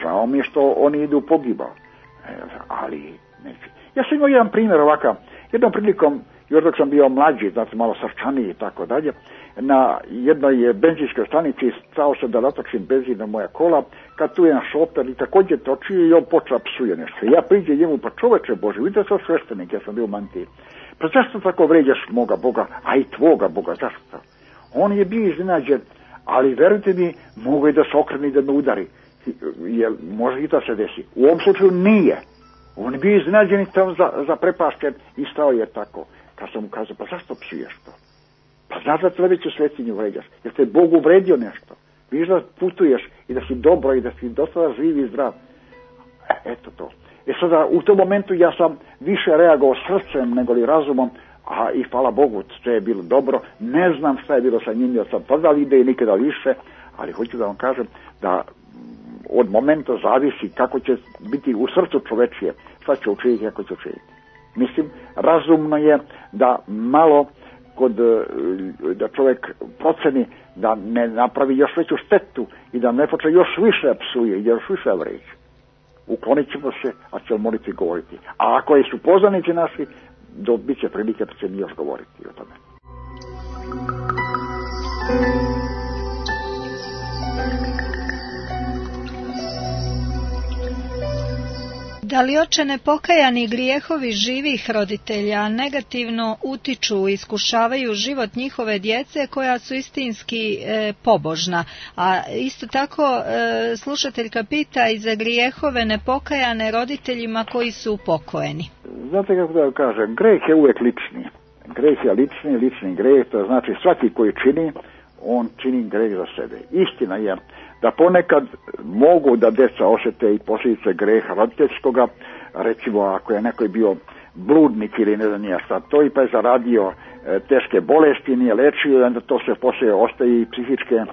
Žao mi je što oni idu u pogibao, ali neće. Ja sam imao jedan primjer ovakav. Jednom prilikom, još dok sam bio mlađi, znači malo srčaniji i tako dalje, na jednoj benzinskoj stanici stao se da natočim benzin na moja kola, kad tu jedan šofer i također točio i on počeo psuje nešto. Ja priđem njemu, pa čoveče Bože, vidite sam sveštenik, ja sam bio u mantiji. Pa zašto tako vređaš moga Boga, a i tvoga Boga, zašto? On je bio iznenađen, ali verujte mi, mogu i da se okrene i da me udari. Jer može i to se desi. U ovom slučaju nije. On je bio iznenađen i tamo zaprepašten i stao je tako. Kad sam mu kazao, pa zašto psuješ to? Pa znaš da sledeću svetinju vređaš, jer te Bog uvredio nešto. Viš da putuješ i da si dobro i da si dosta živ i zdrav. Eto to. Sada u tom momentu ja sam više reagovao srcem nego li razumom, a i hvala Bogu, sve je bilo dobro. Ne znam šta je bilo sa njim, jer sam tada vidio i nikada više, ali hoću da vam kažem da od momenta zavisi kako će biti u srcu čovečije, šta će učiniti, kako će učiniti. Mislim, razumno je da malo da čovjek proceni da ne napravi još veću štetu i da ne počne još više psuje i još više vređa. Uklonit ćemo se, a ćemo moliti govoriti. A ako su poznanici naši, bit će prilike da će mi još govoriti o tome. Da li oče nepokajani grijehovi živih roditelja negativno utiču i iskušavaju život njihove djece koja su istinski pobožna? A isto tako slušateljka pita i za grijehove nepokajane roditeljima koji su upokojeni. Znate kako da kažem, greh je uvijek lični. Greh je lični greh, to znači svaki koji čini, on čini greh za sebe. Istina je da ponekad mogu da deca osjete i posljedice greha roditeljskoga, recimo ako je neko bio bludnik ili ne znam ja šta to i pa je zaradio teške bolesti, nije lečio, onda to se poslije ostaje i psihičke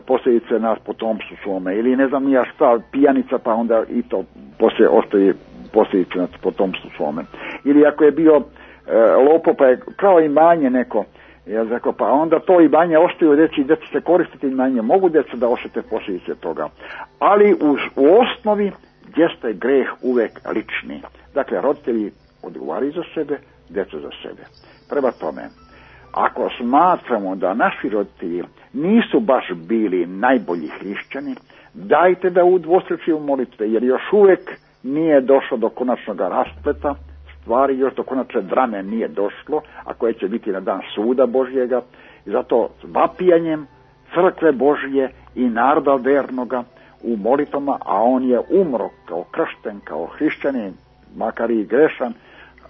posljedice na potomstvu svome, ili ne znam ja šta, pijanica pa onda i to poslije ostaje posljedice na potomstvu svome. Ili ako je bio lopo pa je kao imanje neko, ja rekao, pa onda to imanje ostaju djeci, djeca se koristiti imanje, mogu djeca da osjete posljedice toga. Ali u osnovi jeste greh uvek lični. Dakle, roditelji odgovaraju za sebe, djeca za sebe. Prema tome, ako smatramo da naši roditelji nisu baš bili najbolji hrišćani, dajte da udvostručimo molitve, jer još uvek nije došlo do konačnog raspleta stvari, još do konačne drame nije došlo, a koje će biti na dan suda Božjega. I zato vapijanjem crkve Božje i naroda vernoga u molitvama, a on je umro kao kršten, kao hrišćanin, makar i grešan,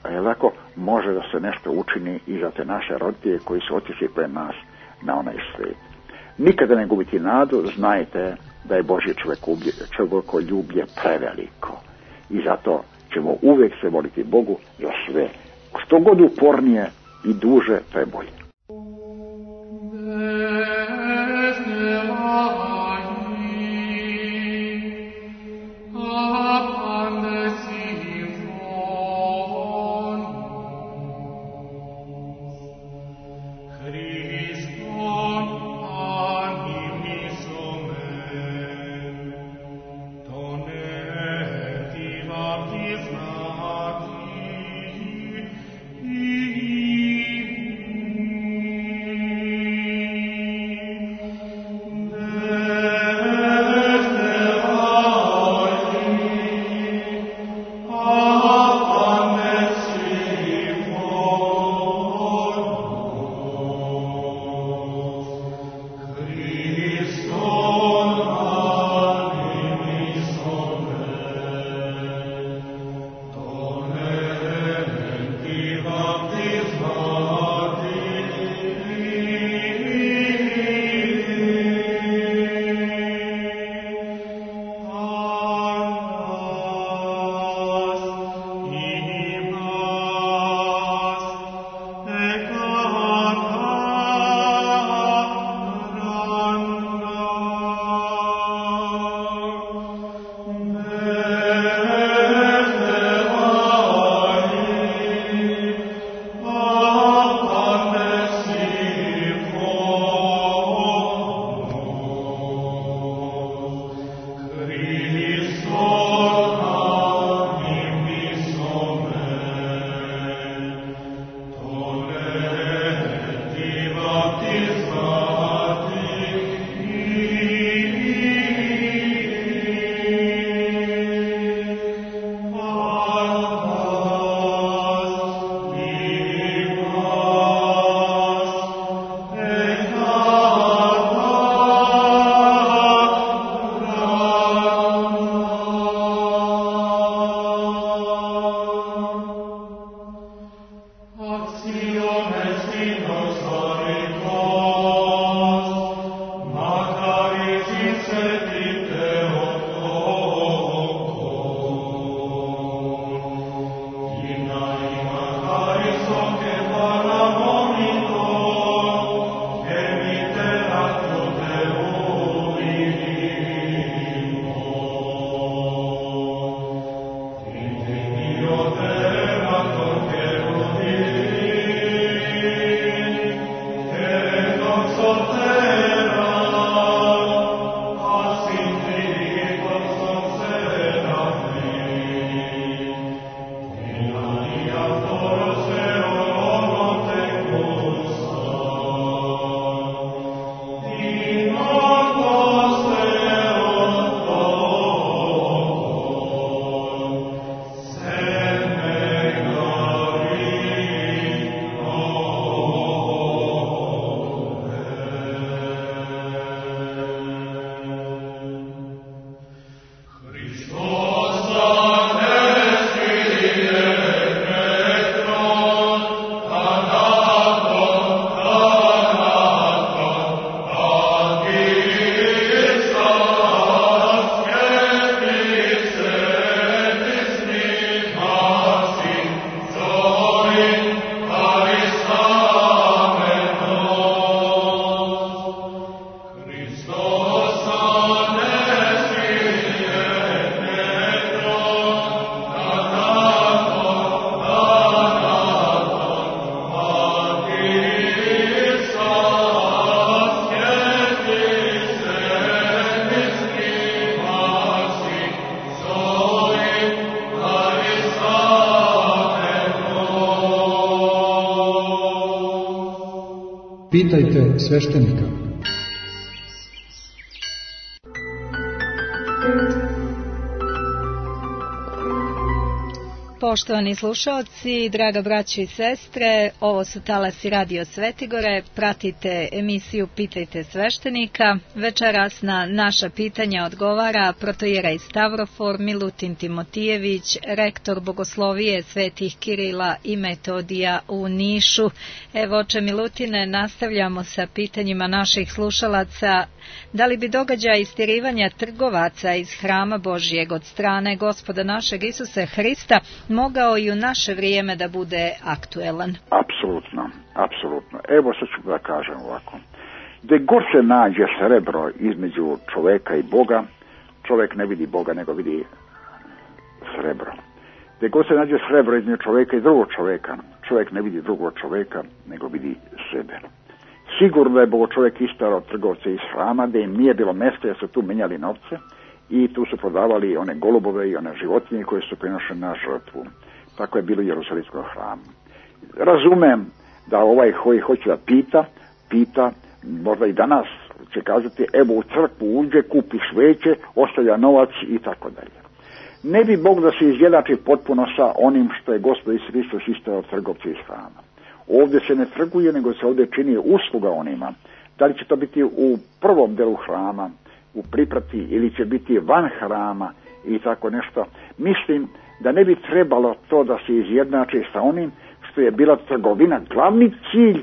tako može da se nešto učini i za te naše roditelje koji su otišli pred nas na onaj svijet. Nikada ne gubiti nadu, znajte da je Božje čovjekoljublje preveliko. I zato ćemo uvijek se moliti Bogu za sve. Što god upornije i duže, to je bolje. Pitajte sveštenika. Poštovani slušaoci, draga braćo i sestre, ovo su talasi Radio Svetigore, pratite emisiju Pitajte sveštenika. Večeras na naša pitanja odgovara protoijerej Stavrofor Milutin Timotijević, rektor Bogoslovije Svetih Kirila i Metodija u Nišu. Evo, oče Milutine, nastavljamo sa pitanjima naših slušalaca. Da li bi događaj istirivanja trgovaca iz hrama Božijeg od strane Gospoda našeg Isuse Hrista mogao i u naše vrijeme da bude aktuelan? Apsolutno, apsolutno. Evo sad ću da kažem ovako. Gde god se nađe srebro između čoveka i Boga, čovek ne vidi Boga, nego vidi srebro. Gde god se nađe srebro između čoveka i drugog čoveka, čovek ne vidi drugog čoveka, nego vidi sebe. Sigurno je Bogo čovjek istarao trgovce iz hrama, da im nije bilo mjesta, jer su tu menjali novce i tu su prodavali one golubove i one životinje koje su prinošene na žrtvu. Tako je bilo u Jerusalimskom hramu. Razumem da ovaj koji hoće da pita, možda i danas će kazati, evo u crkvu uđe, kupi sveće, ostavlja novac i tako dalje. Ne bi Bog da se izjednači potpuno sa onim što je Gospod Isus Hristos istarao trgovce iz hrama. Ovdje se ne trguje, nego se ovdje čini usluga onima. Da li će to biti u prvom delu hrama, u priprati, ili će biti van hrama i tako nešto. Mislim da ne bi trebalo to da se izjednači sa onim što je bila trgovina glavni cilj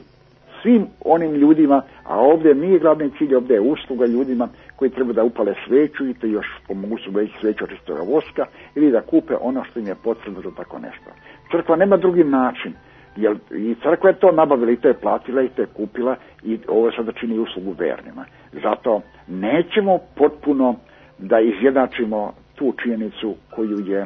svim onim ljudima, a ovdje nije glavni cilj, ovdje je usluga ljudima koji treba da upale sveću i to još pomogu su već sveću čistoga voska ili da kupe ono što im je potrebno za tako nešto. Crkva nema drugi način. Jer i crkva je to nabavila i to je platila i to je kupila i ovo sada čini uslugu vernima. Zato nećemo potpuno da izjednačimo tu činjenicu koju je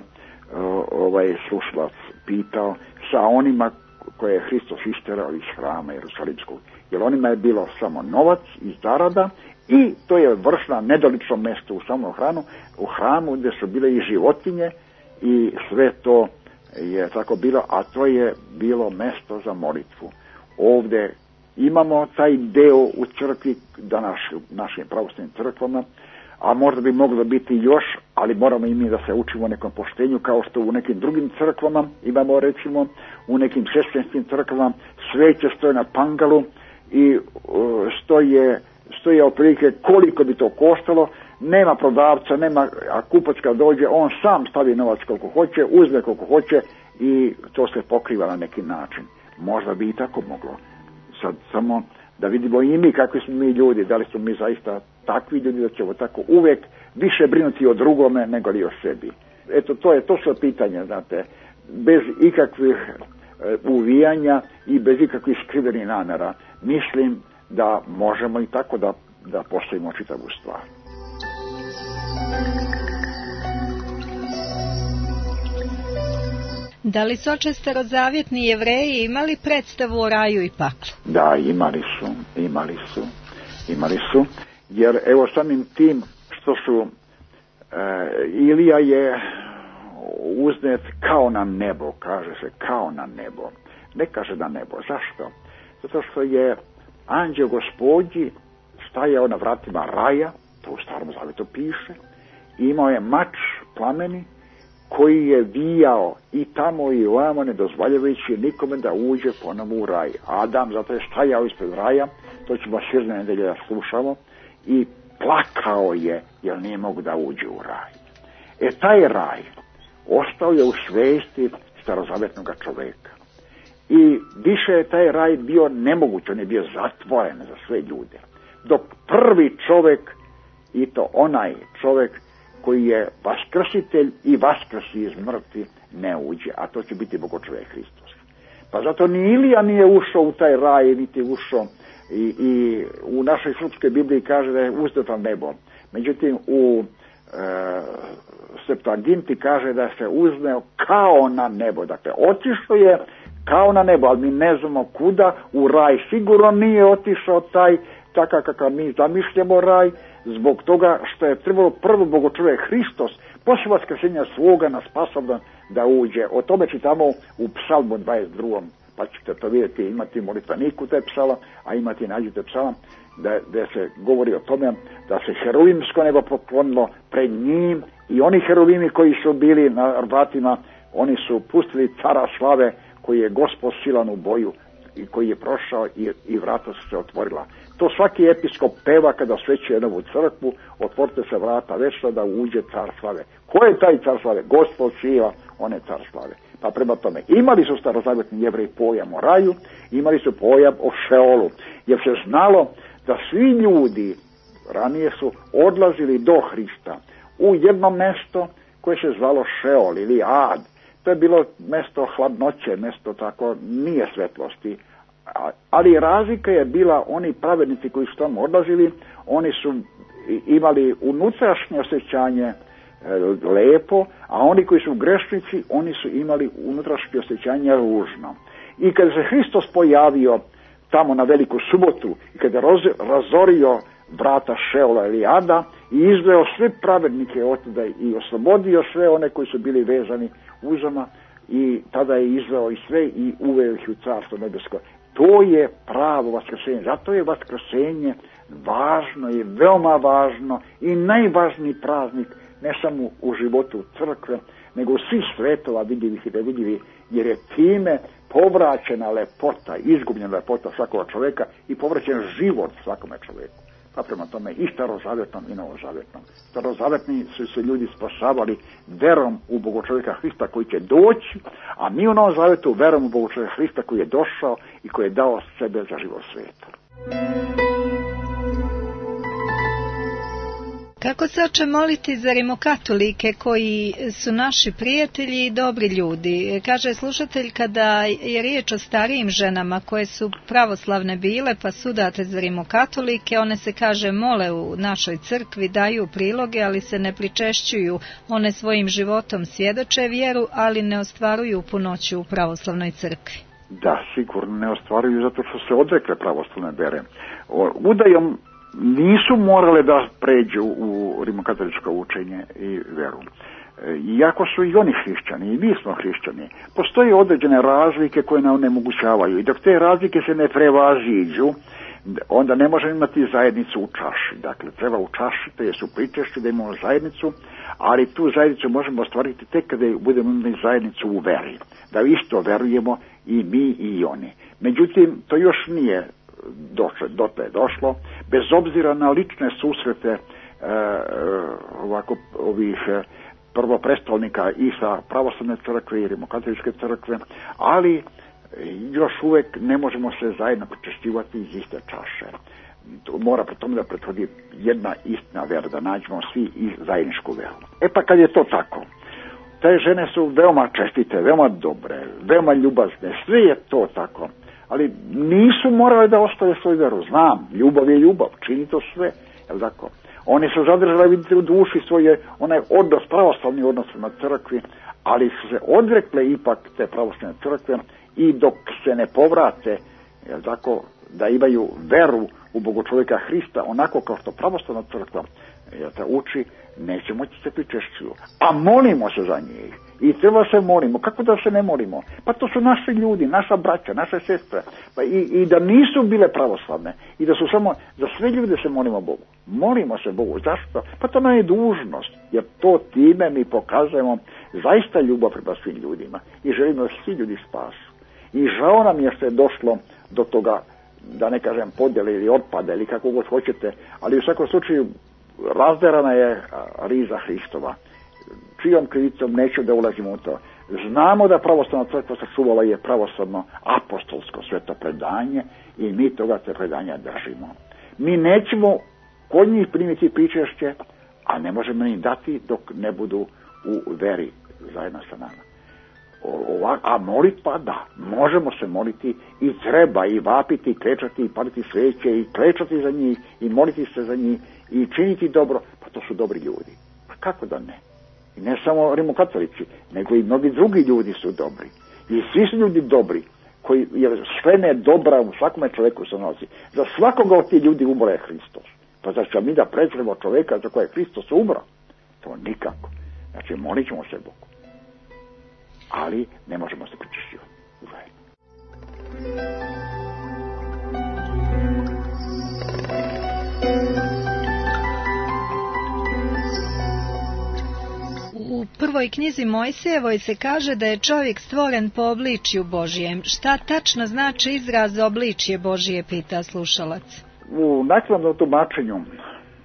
slušalac pitao sa onima koje je Hristos isterao iz hrama Jerusalimskog. Jer onima je bilo samo novac i zarada i to je vršna nedolično mjesto u samom u hramu gdje su bile i životinje i sve to je tako bilo, a to je bilo mjesto za molitvu. Ovdje imamo taj deo u crkvi, danas u našim pravoslavnim crkvama, a možda bi moglo biti još, ali moramo i mi da se učimo nekom poštenju, kao što u nekim drugim crkvama imamo, recimo u nekim sestvenskim crkvama sveće stoje na pangalu i stoje otprilike koliko bi to koštalo. Nema prodavca, a kupac kad dođe, on sam stavi novac koliko hoće, uzme koliko hoće i to se pokriva na neki način. Možda bi i tako moglo. Sad samo da vidimo i mi kakvi smo mi ljudi, da li smo mi zaista takvi ljudi da ćemo tako uvijek više brinuti o drugome nego li o sebi. Eto, to su pitanja, znate, bez ikakvih uvijanja i bez ikakvih skrivenih namjera. Mislim da možemo i tako da postavimo čitavu stvar. Da li su oče starozavjetni Jevreji imali predstavu o raju i paklu? Da, imali su, jer evo samim tim što su Ilija je uznet kao na nebo, kaže se kao na nebo, ne kaže na nebo. Zašto? Zato što je anđeo Gospodnji stajao na vratima raja, to u Starom Zavjetu piše, i imao je mač plameni koji je vijao i tamo i ovamo, ne dozvoljavajući nikome da uđe ponovo u raj. Adam zato je stajao ispred raja, to ćemo svirne nedelje da slušamo, i plakao je jer nije mogu da uđe u raj. Taj raj ostao je u svesti starozavjetnog čoveka. I više je taj raj bio nemoguć, on je bio zatvoren za sve ljude. Dok prvi čovek, i to onaj čovek koji je vaskrsitelj i vaskrsi iz mrtvi, ne uđe, a to će biti Bogočovek Hristos. Pa zato ni Ilija nije ušao u taj raj, niti ušao i u našoj srpskoj Bibliji kaže da je uzet na nebo. Međutim, u Septuaginti kaže da se uzneo kao na nebo. Dakle, otišao je kao na nebo, ali mi ne znamo kuda, u raj sigurno nije otišao taj, takav kakav mi zamišljamo raj, zbog toga što je trebalo prvo Bogočovek Hristos, poslije vaskrsenja svoga nas sposoban da uđe. O tome čitamo u Psalmu 22. pa ćete to vidjeti, imati molitvaniku te psala, a imati nađite psala, da se govori o tome da se heruvimsko nebo poklonilo pred njim i oni heruvimi koji su bili na vratima, oni su pustili cara slave koji je Gospod silan u boju i koji je prošao i vrata su se otvorila. To svaki episkop peva kada osvećuje novu crkvu, otvorite se vrata večna da uđe car slave. Ko je taj car slave? Gospod silan, on je car slave. Pa prema tome, imali su starozavjetni Jevreji pojam o raju, imali su pojam o Šeolu, jer se znalo da svi ljudi ranije su odlazili do Hrista u jedno mesto koje se zvalo Šeol ili Ad. To je bilo mesto hladnoće, mesto tako nije svetlosti, ali razlika je bila, oni pravednici koji su tamo odlazili, oni su imali unutrašnje osjećanje lepo, a oni koji su grešnici, oni su imali unutrašnje osjećanje ružno. I kada se Hristos pojavio tamo na Veliku subotu i kada je razorio vrata Šeola ili Ada i izveo sve pravednike otuda i oslobodio sve one koji su bili vezani uzama, i tada je izveo i sve i uveo ih u carstvo nebesko. To je pravo vaskrsenje. Zato je vaskrsenje važno i veoma važno i najvažniji praznik ne samo u životu crkve, nego u svih svetova vidljivih i nevidljivih, jer je time povraćena lepota, izgubljena lepota svakog čovjeka i povraćen život svakome čovjeku. Pa prema tome i starozavjetnom i novozavjetnom. Starozavjetni su se ljudi spasavali verom u Bogočovjeka Hrista koji će doći, a mi u Novom Zavjetu verom u Bogočovjeka Hrista koji je došao i koji je dao sebe za život svijeta. Kako se oče moliti za rimokatolike koji su naši prijatelji i dobri ljudi? Kaže slušatelj, kada je riječ o starijim ženama koje su pravoslavne bile pa sudate za rimokatolike, one se kaže mole u našoj crkvi, daju priloge, ali se ne pričešćuju. One svojim životom svjedoče vjeru, ali ne ostvaruju punoću u pravoslavnoj crkvi. Da, sigurno ne ostvaruju zato što se odrekle pravoslavne vere. Udajom nisu morale da pređu u rimokatoličko učenje i veru. Iako su i oni hrišćani, i mi smo hrišćani, postoje određene razlike koje nam onemogućavaju. I dok te razlike se ne prevaziđu, onda ne možemo imati zajednicu u čaši. Dakle, treba u čaši, to je su pričešći da imamo zajednicu, ali tu zajednicu možemo ostvariti tek kada budemo imali zajednicu u veri. Da isto verujemo i mi i oni. Međutim, to još nije došlo, bez obzira na lične susrete ovih prvoprestolnika i sa pravoslavne crkve i rimokatoličke crkve, ali još uvijek ne možemo se zajedno pričešćivati iz iste čaše. Mora pri tome da prethodi jedna istina vera, da nađemo svi i zajedničku veru. E pa kad je to tako, te žene su veoma čestite, veoma dobre, veoma ljubazne, sve je to tako, ali nisu morale da ostave svoju veru. Znam, ljubav je ljubav, čini to sve, jel tako? Oni su zadržali, vidite, u duši svoje onaj odnos, pravoslavni odnos na crkvi, ali su se odrekle ipak te pravoslavne crkve i dok se ne povrate, jel tako, da imaju veru u Bogočovjeka Hrista, onako kao što pravoslavna crkva uči, neće moći se pričešćuju. A molimo se za njih. I treba se molimo. Kako da se ne molimo? Pa to su naši ljudi, naša braća, naše sestre. Pa i da nisu bile pravoslavne. I da su samo, za sve ljude se molimo Bogu. Molimo se Bogu. Zašto? Pa to nam je dužnost. Jer to time mi pokazujemo zaista ljubav prema svim ljudima. I želimo da svi ljudi spasu. I žao nam je što je došlo do toga, da ne kažem podjele ili otpada ili kako god hoćete, ali u svakom slučaju razderana je riza Hristova. Čijom krivicom neću da ulazimo u to. Znamo da pravoslavna crkva sačuvala je pravoslavno apostolsko sveto predanje i mi toga se predanja držimo. Mi nećemo kod njih primiti pričešće, a ne možemo ni dati dok ne budu u veri zajedno sa nama. A molitva, da, možemo se moliti i treba i vapiti, i klečati, i paliti sveće, i klečati za njih, i moliti se za njih, i činiti dobro, pa to su dobri ljudi. Pa kako da ne? I ne samo rimokatolici, nego i mnogi drugi ljudi su dobri. I svi su ljudi dobri, koji, jer sve ne dobra u svakome čovjeku se nosi. Za svakoga od tih ljudi umro je Hristos. Pa zar ćemo mi da prezremo čovjeka za koje je Hristos umro? To nikako. Znači, molit ćemo se Bogu. Ali ne možemo se pričešćivati zajedno. prvoj knjizi Mojsijevoj se kaže da je čovjek stvoren po obličju Božijem. Šta tačno znači izraz obličje Božije, pita slušalac. U naknadnom tumačenju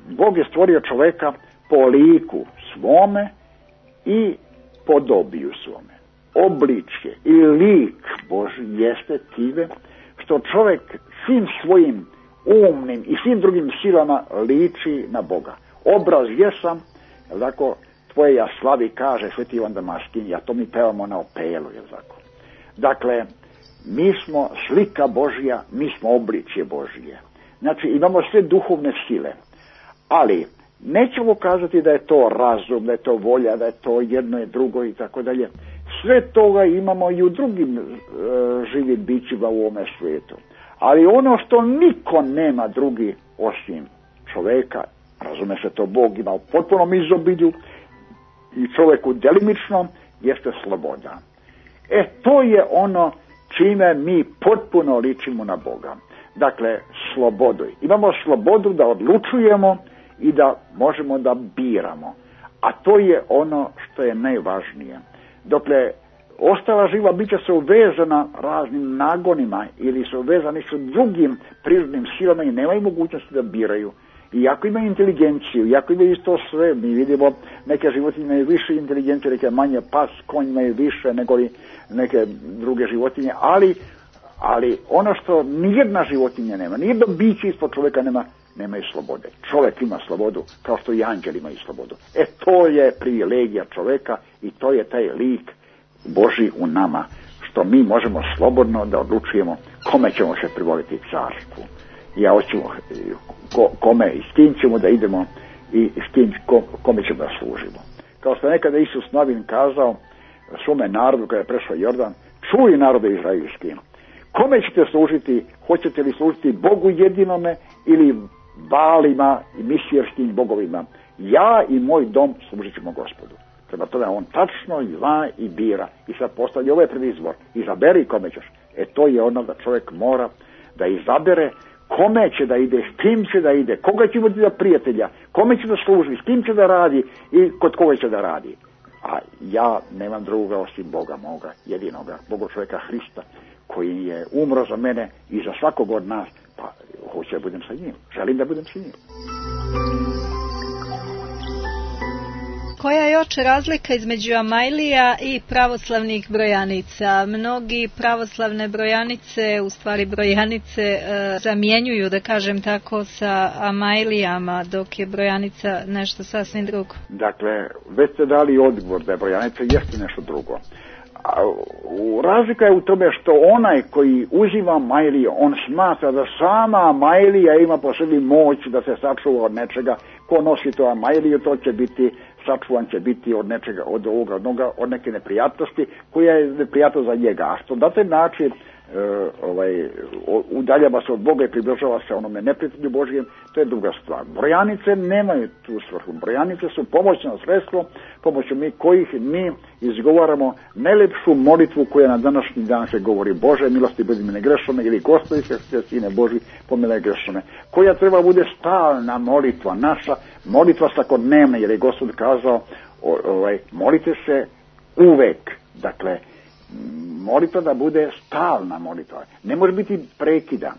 Bog je stvorio čoveka po liku svome i podobiju svome. Obličje i lik Božji jeste time što čovjek svim svojim umnim i svim drugim silama liči na Boga. Obraz jesam, tako, tvoje ja slavi, kaže Sveti Ivan Damaskin, a to mi pevamo na opelu, je tako. Dakle, mi smo slika Božja, mi smo obličje Božje. Znači, imamo sve duhovne sile, ali nećemo kazati da je to razum, da je to volja, da je to jedno i drugo i tako dalje. Sve toga imamo i u drugim živim bićima u ovome svijetu. Ali ono što niko nema drugi osim čoveka, razume se, to Bog ima u potpunom izobilju i čovjeku delimičnom, jeste sloboda. To je ono čime mi potpuno ličimo na Boga. Dakle, slobodu. Imamo slobodu da odlučujemo i da možemo da biramo. A to je ono što je najvažnije. Dokle ostala živa bića su uvezana raznim nagonima ili su uvezani su drugim prirodnim silama i nemaju mogućnosti da biraju. Iako imaju inteligenciju, iako imaju isto sve, mi vidimo neke životinje imaju više inteligencije, neke manje, pas, konj imaju više nego neke druge životinje, ali ono što nijedna životinja nema, nijedno biće ispod čovjeka nemaju slobode. Čovjek ima slobodu kao što i anđeli imaju slobodu. To je privilegija čovjeka i to je taj lik Božji u nama, što mi možemo slobodno da odlučujemo kome ćemo se privoliti carstvu. Ja hoću kome i s kim ćemo da idemo i s kim, kome ćemo da služimo. Kao što nekada Isus Novin kazao svome narodu kada je prešao Jordan, čuj narode izraelski, kome ćete služiti, hoćete li služiti Bogu jedinome ili Balima i misijarskim bogovima? Ja i moj dom služit ćemo Gospodu. Prema tome on tačno zna i bira i sad postavlja ovaj prvi izbor, izaberi kome ćeš. To je ono da čovjek mora da izabere kome će da ide, s kim će da ide, koga će imati za prijatelja, kome će da služi, s kim će da radi i kod koga će da radi. A ja nemam drugoga osim Boga moga, jedinoga, Boga čovjeka Hrista, koji je umro za mene i za svakog od nas, pa hoću da budem sa njim, želim da budem sa njim. Koja je oče razlika između Amajlija i pravoslavnih brojanica? Mnogi pravoslavne brojanice, u stvari brojanice, zamjenjuju, da kažem tako, sa Amajlijama, dok je brojanica nešto sasvim drugo. Dakle, već ste dali odgovor da je brojanica jeste nešto drugo. Razlika je u tome što onaj koji uzima Amajliju, on smatra da sama Amajlija ima po sebi moć da se sačuva od nečega. Ko nosi to Amajliju, to će biti sačuvan, će biti od nečega, od neke neprijatnosti koja je neprijatnost za njega. A što na taj način udaljava se od Boga i približava se onome neprijatelju Božijem, to je druga stvar. Brojanice nemaju tu svrhu. Brojanice su pomoćno sredstvo, pomoću kojih mi izgovaramo najlepšu molitvu koja na današnji dan se govori: Bože, milosti budi mi negrešene, ili Gospodi se Sine Boži, pomiluje grešene. Koja treba bude stalna molitva, naša molitva svakodnevna, jer je Gospod kazao molite se uvek. Dakle, molitva da bude stalna molitva. Ne može biti prekida.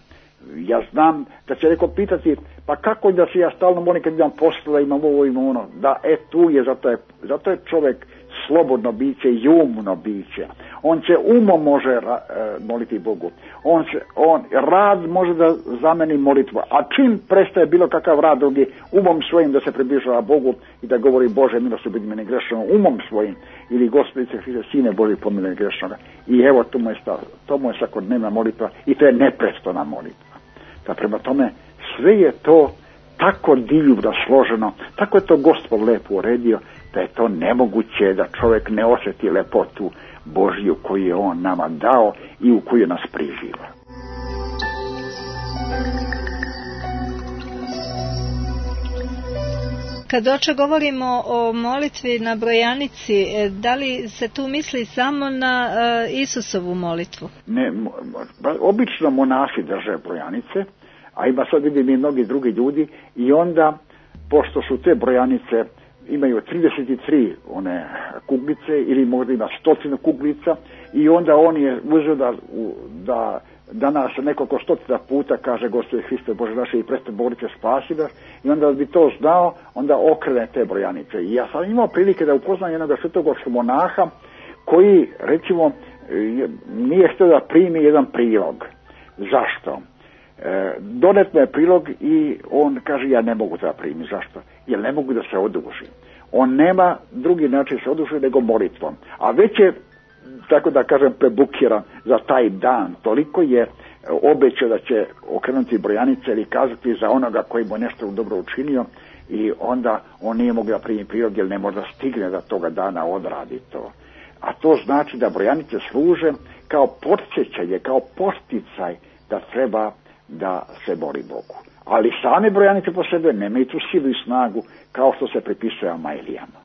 Ja znam da će neko pitati, pa kako da se ja stalno molim kad imam posla, imam ovo, imam ono. Da, tu je, zato je čovjek slobodno biće i umno biće. On će umom može moliti Bogu. Rad može da zameni molitvu. A čim prestaje bilo kakav rad drugi, umom svojim da se približava Bogu i da govori: Bože, milosti budi mi negrešeno, umom svojim, ili Gospodi se Sine Boži, pomiluje grešnoga. I evo, to mu je svakodnevna molitva i to je neprestana molitva. Da prema tome sve je to tako divno složeno, tako je to Gospod lepo uredio, da je to nemoguće da čovjek ne osjeti lepotu Božju koju je on nama dao i u koju nas priživa. Kad oče govorimo o molitvi na brojanici, da li se tu misli samo na Isusovu molitvu? Ne, obično monasi drže brojanice, a ima sad vidim i mnogi drugi ljudi, i onda, pošto su te brojanice imaju 33 one kuglice ili možda ima 100 kuglica i onda on je uzeo da danas nekoliko stotina puta kaže Gospode Hriste Bože naše i preste borice spasi nas i onda bi to znao, onda okrene te brojanice. I ja sam imao prilike da upoznam jednog svetogorskog monaha koji, recimo, nije htio da primi jedan prilog. Zašto? Donet me prilog i on kaže ja ne mogu da primim. Zašto? Jer ne mogu da se odužim. On nema drugi način se oduži nego molitvom. A već je, tako da kažem, prebukiran za taj dan. Toliko je obećao da će okrenuti brojanice ili kazati za onoga koji mu nešto dobro učinio i onda on nije mogao da primi prilog jer ne može da stigne da toga dana odradi to. A to znači da brojanice služe kao podsjećanje, kao posticaj da treba da se boli Bogu. Ali same brojanice po sebe nemaju tu silu i snagu kao što se pripisuje Amailijama.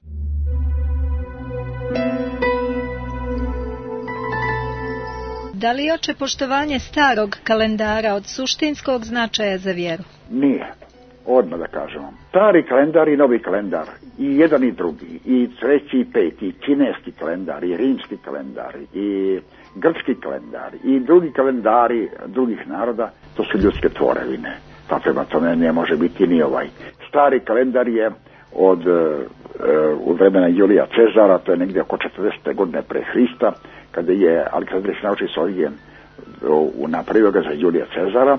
Da li je oče poštovanje starog kalendara od suštinskog značaja za vjeru? Nije. Odmah da kažemo. Stari kalendar i novi kalendar, i jedan i drugi, i treći i peti, i kineski kalendar, i rimski kalendar, i grčki kalendar, i drugi kalendari drugih naroda, to su ljudske tvorevine. Pa prema tome ne može biti ni ovaj. Stari kalendar je u vremena Julija Cezara, to je negdje oko 40. godine pre Hrista, kada je Aleksandar nauči Sorigen napravio ga za Julija Cezara,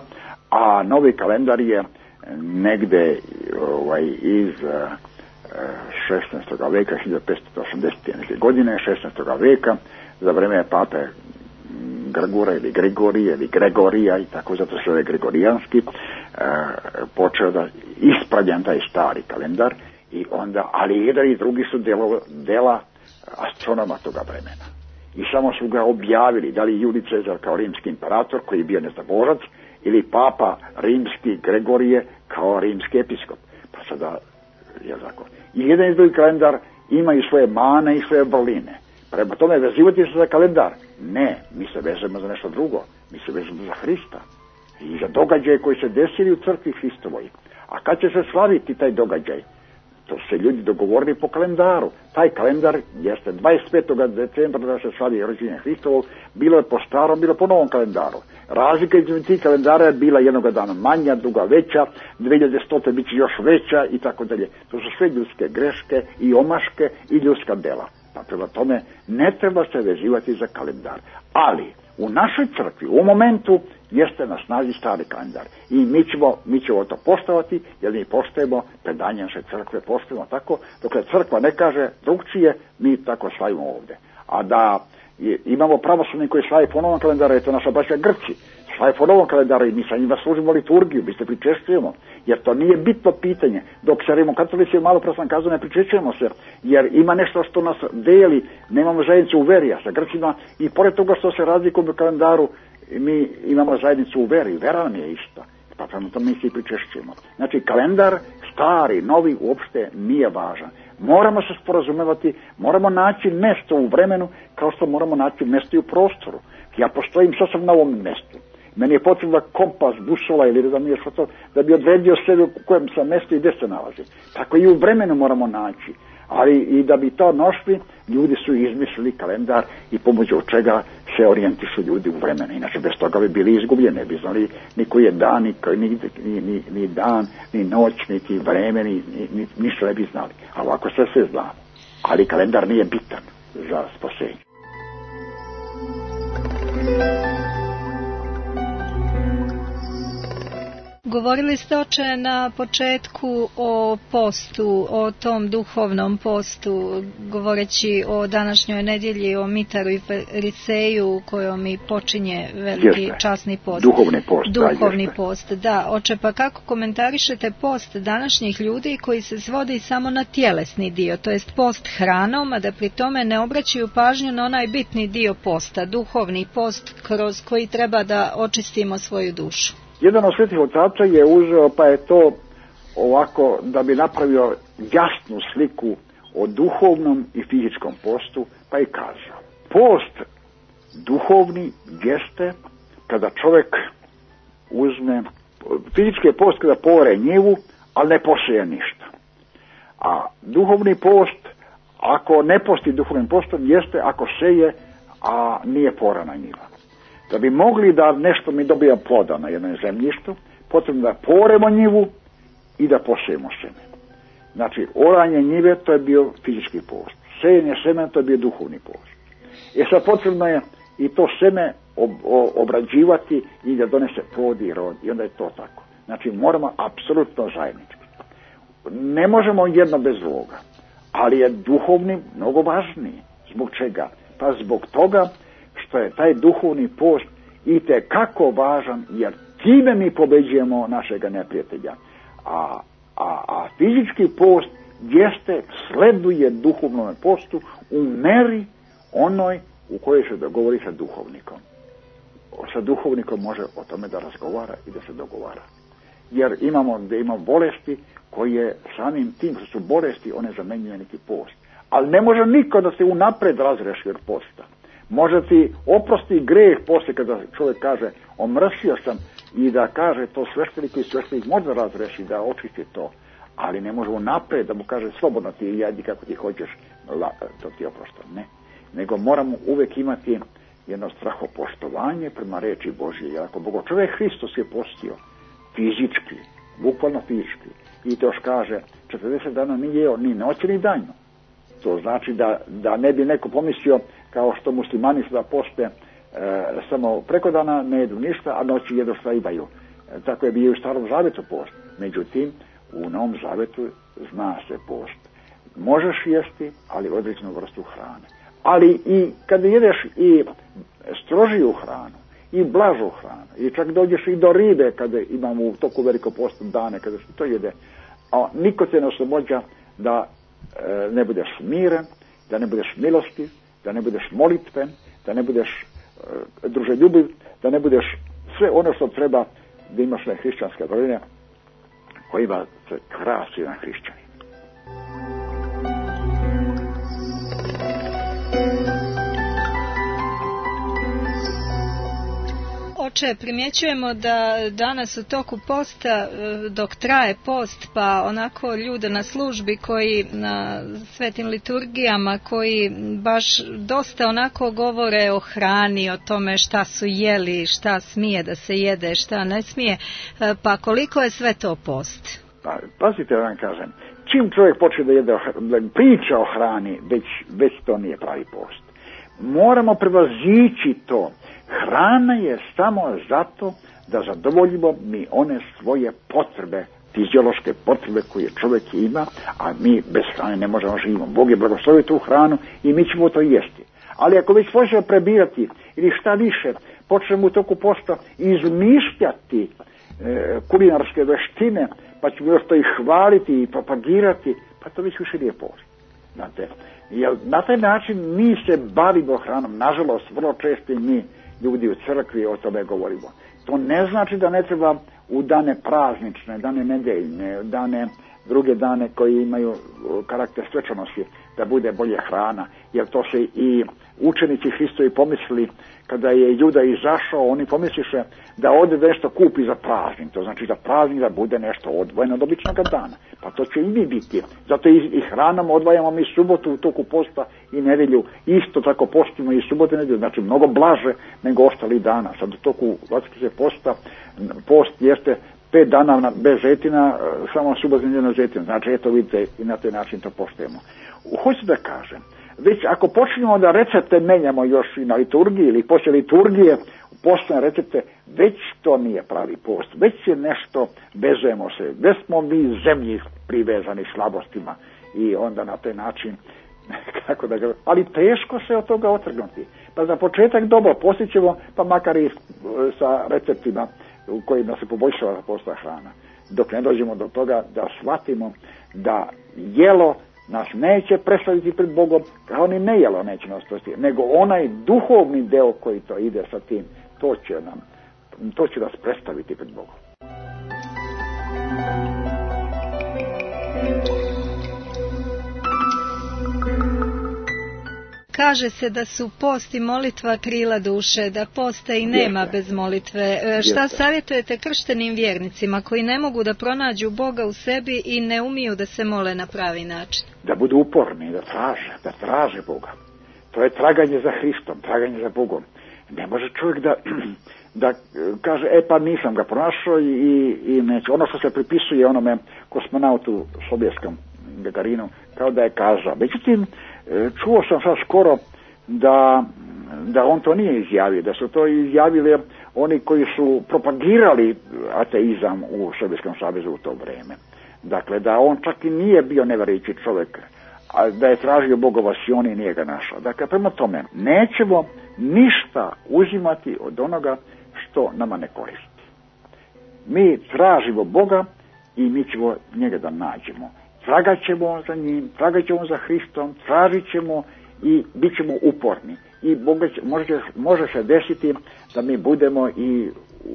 a novi kalendar je negde iz 16. veka, 1580. godine, 16. veka, za vreme pape Grgura ili Grigorije ili Gregorija i tako, zato se je gregorijanski, počeo da ispravljam taj stari kalendar i onda, ali jedan i drugi su dela astronoma toga vremena. I samo su ga objavili, da li Julij Cezar kao rimski imperator koji je bio nezaborac ili papa rimski Gregorije kao rimski episkop. Pa sada je tako. I jedan i drugi kalendar imaju svoje mane i svoje vrline. Prema tome vezivati se za kalendar. Ne, mi se vezujemo za nešto drugo. Mi se vezujemo za Hrista i za događaje koji se desili u crkvi Hristovoj. A kad će se slaviti taj događaj? To se ljudi dogovorili po kalendaru. Taj kalendar jeste 25. decembra da se slavi rođenje Hristovog, bilo je po starom, bilo po novom kalendaru. Razlika između tih kalendara je bila jednoga dana manja, druga veća, 2100. bit će još veća i tako dalje. To su sve ljudske greške i omaške i ljudska dela. Pa prema tome ne treba se vezivati za kalendar. Ali u našoj crkvi u momentu jeste na snazi stari kalendar. I mi ćemo to poštovati, jer mi poštujemo predanje naše crkve, poštujemo tako, dokle crkva ne kaže drugčije, mi tako slavimo ovdje. A da imamo pravoslavni koji slavi po novom kalendaru, je to naša braća Grci, slavi po novom kalendaru i mi sa njima služimo liturgiju, mi se pričešćujemo, jer to nije bitno pitanje. Dok se rimokatolici, malo pre sam kazao, ne pričešćujemo se, jer ima nešto što nas deli, nemamo zajednicu u veri, a sa Grcima, i pored toga što se razlikujemo u kalendaru, mi imamo zajednicu u veri, vera nam je ista, pa prema tome mi se i pričešćujemo. Znači kalendar, stari, novi, uopšte nije važan. Moramo se sporazumevati, moramo naći mjesto u vremenu kao što moramo naći mjesto i u prostoru. Ja postojim sasvim na ovom mjestu. Meni je potrebno kompas, busola ili da mi je što da bi odredio sebe u kojem sam mjestu i gdje se nalazi. Tako i u vremenu moramo naći. Ali i da bi to našli, ljudi su izmislili kalendar i pomoću čega se orijentišu ljudi u vremenu. Inače, bez toga bi bili izgubljeni, ne bi znali ni koji je dan, ni dan, ni noć, niti vreme, ništa ne bi znali. A ovako sve znamo. Ali kalendar nije bitan za spasenje. Govorili ste, oče, na početku o postu, o tom duhovnom postu, govoreći o današnjoj nedjelji, o Mitaru i Fariseju kojom i počinje veliki časni post. Duhovni post, da. Oče, pa kako komentarišete post današnjih ljudi koji se svodi samo na tjelesni dio, to jest post hranom, a da pri tome ne obraćaju pažnju na onaj bitni dio posta, duhovni post kroz koji treba da očistimo svoju dušu? Jedan od svetih otaca je uzeo, pa je to ovako da bi napravio jasnu sliku o duhovnom i fizičkom postu, pa je kazao: post duhovni jeste kada čovjek uzme, fizički je post kada pore njivu, ali ne poseje ništa. A duhovni post, ako ne posti duhovnim postom, jeste ako seje, a nije porana njiva. Da bi mogli da nešto mi dobija ploda na jednom zemljištu, potrebno da poremo njivu i da posejemo seme. Znači, oranje njive, to je bio fizički post. Sejenje semena, to je bio duhovni post. Sad potrebno je i to seme obrađivati i da donese plod i rod. I onda je to tako. Znači, moramo apsolutno zajednički. Ne možemo jedno bez drugoga. Ali je duhovni mnogo važniji. Zbog čega? Pa zbog toga što je taj duhovni post itekako važan, jer time mi pobeđujemo našega neprijatelja. A fizički post jeste, sleduje duhovnom postu u meri onoj u kojoj se dogovori sa duhovnikom. Sa duhovnikom može o tome da razgovara i da se dogovara. Jer imamo bolesti koje samim tim što su bolesti, one zamenjuju neki post. Ali ne može niko da se unapred razreši od posta. Može ti oprosti greh poslije kada čovjek kaže omrsio sam i da kaže to sveštenik može razreši, da očisti to. Ali ne može unapred da mu kaže slobodno ti jedi kako ti hoćeš, to ti oprošta. Ne. Nego moramo uvijek imati jedno strahopoštovanje prema reči Božje. Jer ako Bogo čovjek Hristos je postio fizički, bukvalno fizički, i to još kaže 40 dana nije jeo ni noći ni danju. To znači da ne bi neko pomislio kao što muslimani sada poste samo preko dana ne jedu ništa, a noći jedu šta imaju. Tako je bio u Starom Zavetu post. Međutim, u Novom Zavetu zna se post. Možeš jesti, ali određenu vrstu hrane. Ali i kada jedeš i strožiju hranu, i blažu hranu, i čak dođeš i do ribe kada imamo u toku velikopostnog dane, kada se to jede, a niko te ne oslobođa da ne budeš miren, da ne budeš milostiv, da ne budeš molitven, da ne budeš druželjubiv, da ne budeš sve ono što treba da imaš na hrišćanske vrline kojima se krasi na hrišćani. Oče, primjećujemo da danas u toku posta, dok traje post, pa onako ljude na službi koji na svetim liturgijama, koji baš dosta onako govore o hrani, o tome šta su jeli, šta smije da se jede, šta ne smije, pa koliko je sve to post? Pazite, da vam kažem, čim čovjek počne da jede, priča o hrani, već to nije pravi post. Moramo prevazići to. Hrana je samo zato da zadovoljimo mi one svoje potrebe, fiziološke potrebe koje čovjek ima, a mi bez hrane ne možemo živimo. Bog je blagoslovio tu hranu i mi ćemo to jesti. Ali ako već počnemo prebirati ili šta više, počnemo u toku posta izmišljati kulinarske veštine, pa ćemo još to i hvaliti i propagirati, pa to već više nije post. Znate, jer na taj način mi se bavimo hranom. Nažalost, vrlo često i mi ljudi u crkvi o tome govorimo. To ne znači da ne treba u dane praznične, dane nedeljne, dane druge dane koji imaju karakter svečanosti da bude bolje hrana, jer to se i učenici Hristovi pomislili kada je Juda izašao, oni pomisliše da ode nešto kupi za praznik, to znači za praznik da bude nešto odvojeno od običnog dana, pa to će i mi biti. Zato i hranom odvajamo mi subotu u toku posta i nedelju, isto tako postimo i subotu i nedelju, znači mnogo blaže nego ostali dana. Sad u toku Vatikanskog posta, post jeste 5 dana bez žetina, samo subotu i nedelju žetina, znači eto vidite i na taj način to poštujemo. Hoću da kažem, već ako počnemo da recepte menjamo još i na liturgiji ili poslije liturgije, postane recepte, već to nije pravi post, već je nešto, vezujemo se, već smo mi zemlji privezani slabostima i onda na taj način, kako da ga, ali teško se od toga otrgnuti. Pa za početak dobro postićemo, pa makar i sa receptima u kojima se poboljšava posta hrana. Dok ne dođemo do toga da shvatimo da jelo nas neće predstaviti pred Bogom, kao ni nejelo neće nas predstaviti, nego onaj duhovni deo koji to ide sa tim, to će nas predstaviti pred Bogom. kaže se da su post i molitva krila duše, da posta i nema bez molitve. Šta savjetujete krštenim vjernicima koji ne mogu da pronađu Boga u sebi i ne umiju da se mole na pravi način? Da budu uporni, da traže Boga. To je traganje za Hristom, traganje za Bogom. Ne može čovjek da kaže, pa nisam ga pronašao i neće. Ono što se pripisuje onome kosmonautu sovjetskom Gagarinu, kao da je kazao. Međutim, čuo sam sad skoro da on to nije izjavio, da su to izjavili oni koji su propagirali ateizam u Sovjetskom savezu u to vrijeme. Dakle, da on čak i nije bio nevjerujući čovjek, a da je tražio Bogova Sion i nije ga našao. Dakle, prema tome, nećemo ništa uzimati od onoga što nama ne koristi. Mi tražimo Boga i mi ćemo njega da nađemo. Tragat ćemo za njim, tragat ćemo za Hristom, tražit ćemo i bit ćemo uporni. I može se desiti da mi budemo i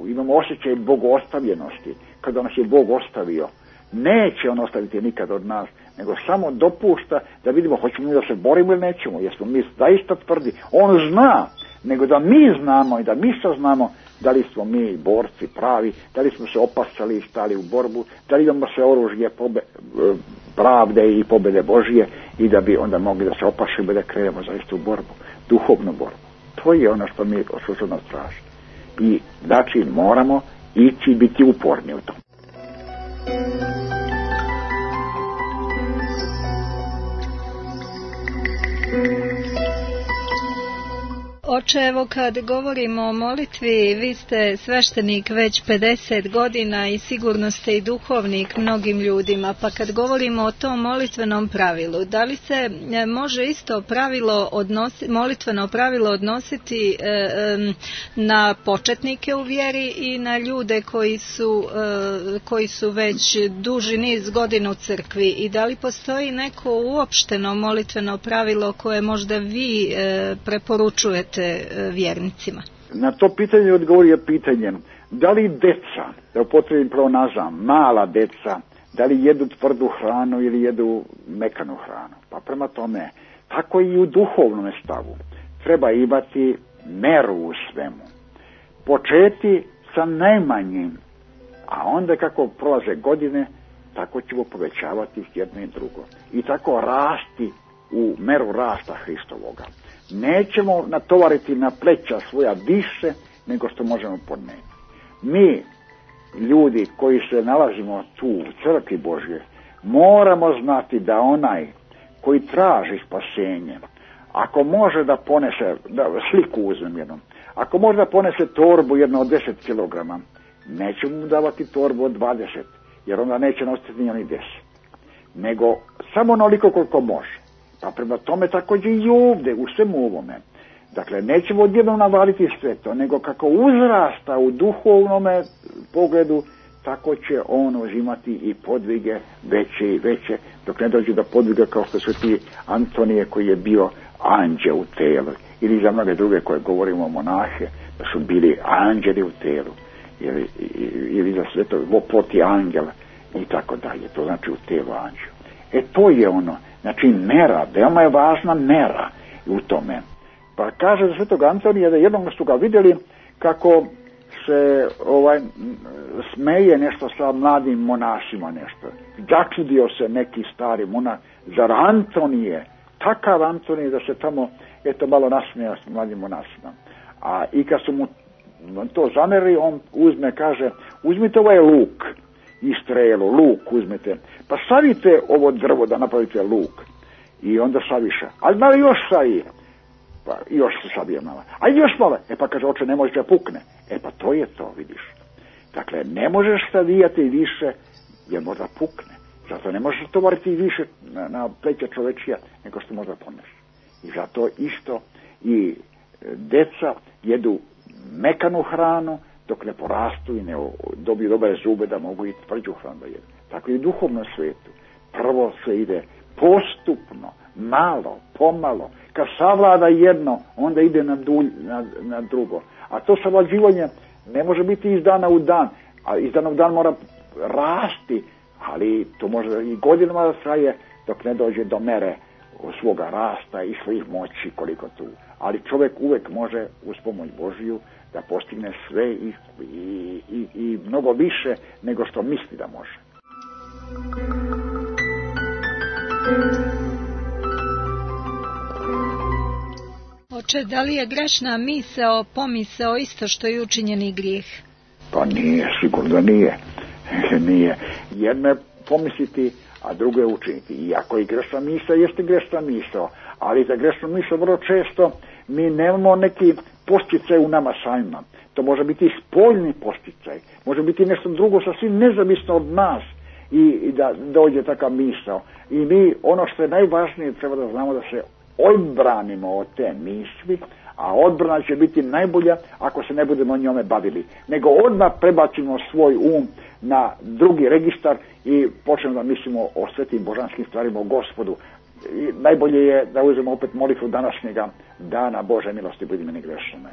imamo osjećaj bogostavljenosti. Kada nas je Bog ostavio, neće on ostaviti nikad od nas, nego samo dopušta da vidimo hoćemo mi da se borimo ili nećemo, jer smo mi zaista tvrdi. On zna, nego da mi znamo i da mi saznamo da li smo mi borci pravi, da li smo se opasali i stali u borbu, da li imamo se oružje pravde i pobjede Božije i da bi onda mogli da se opašimo i da krenemo zaista u borbu, duhovnu borbu. To je ono što mi od nas traži. I znači moramo ići i biti uporni u tom. Oče, evo kad govorimo o molitvi, vi ste sveštenik već 50 godina i sigurno ste i duhovnik mnogim ljudima, pa kad govorimo o tom molitvenom pravilu, da li se može isto molitveno pravilo odnositi na početnike u vjeri i na ljude koji su već duži niz godina u crkvi, i da li postoji neko uopšteno molitveno pravilo koje možda vi preporučujete vjernicima? Na to pitanje odgovorio pitanjem da li deca, da upotrebim pleonazam, mala deca, da li jedu tvrdu hranu ili jedu mekanu hranu. Pa prema tome, tako i u duhovnom stavu treba imati meru u svemu. Početi sa najmanjim, a onda kako prolaze godine, tako ćemo povećavati jedno i drugo. I tako rasti u meru rasta Hristovoga. Nećemo natovariti na pleća svoja više nego što možemo podnijeti. Mi, ljudi koji se nalazimo tu u crkvi Božje, moramo znati da onaj koji traži spasenje, ako može da ponese, da sliku uzmem jednom, ako može da ponese torbu jedno od 10 kilograma, nećemo mu davati torbu od 20, jer onda neće nositi ni 10, nego samo onoliko koliko može. Pa prema tome također i ovdje, u svemu ovome. Dakle, nećemo odjednom navaliti sve to, nego kako uzrasta u duhovnome pogledu, tako će on uzimati i podvige veće i veće, dok ne dođe do podviga kao što su ti Antonije koji je bio anđeo u telu, ili za mnoge druge koje govorimo monahe, da su bili anđeli u telu, ili za sve to ploti angela i tako dalje, to znači u telu anđeo. To je ono. Znači mera, veoma je važna mera u tome. Pa kaže za svetog Antonija da jednom su ga vidjeli kako se smeje nešto sa mladim monasima nešto. Začudio se neki stari monah, zar Antonije, takav Antonije da se tamo malo nasmeja s mladim monasima. I kad su mu to zamerili, on kaže, uzmite ovaj luk i strelu, luk uzmete, pa savite ovo drvo da napravite luk. I onda saviša, ali malo još savi, pa još se savije malo, a još malo, pa kaže, oče, ne može da pukne. Pa to je to, vidiš. Dakle, ne možeš savijati više, jer možda pukne. Zato ne možeš tovariti više na pleća čovečija, nego što možda poneš. I zato isto i deca jedu mekanu hranu, dok ne porastu i ne dobiju dobre zube da mogu i tvrđu hranu da jedu. Tako i u duhovnom svijetu. Prvo se ide postupno, malo, pomalo. Kad savlada jedno, onda ide na drugo. A to savlađivanje ne može biti iz dana u dan, a iz dana u dan mora rasti, ali to može i godinama da traje dok ne dođe do mere svoga rasta i svojih moći koliko tu. Ali čovjek uvijek može uz pomoć Božiju da postigne sve i mnogo više nego što misli da može. Oče, da li je grešna misao, pomisao isto što i učinjeni grijeh? Pa nije, sigurno nije. Nije. Jedno je pomisliti, a drugo je učiniti. Iako i grešna misao jeste grešna misao, ali za grešnu misao vrlo često mi nemamo neki posticaj u nama samima. To može biti spoljni posticaj, može biti nešto drugo sasvim nezavisno od nas i da dođe takav misao. I mi, ono što je najvažnije, treba da znamo da se odbranimo od te misli, a odbrana će biti najbolja ako se ne budemo njome bavili. Nego odmah prebacimo svoj na drugi registar i počnemo da mislimo o svetim božanskim stvarima, o Gospodu. I najbolje je da uzmemo opet molitvu današnjega dana: Bože milosti, budi meni grešnome.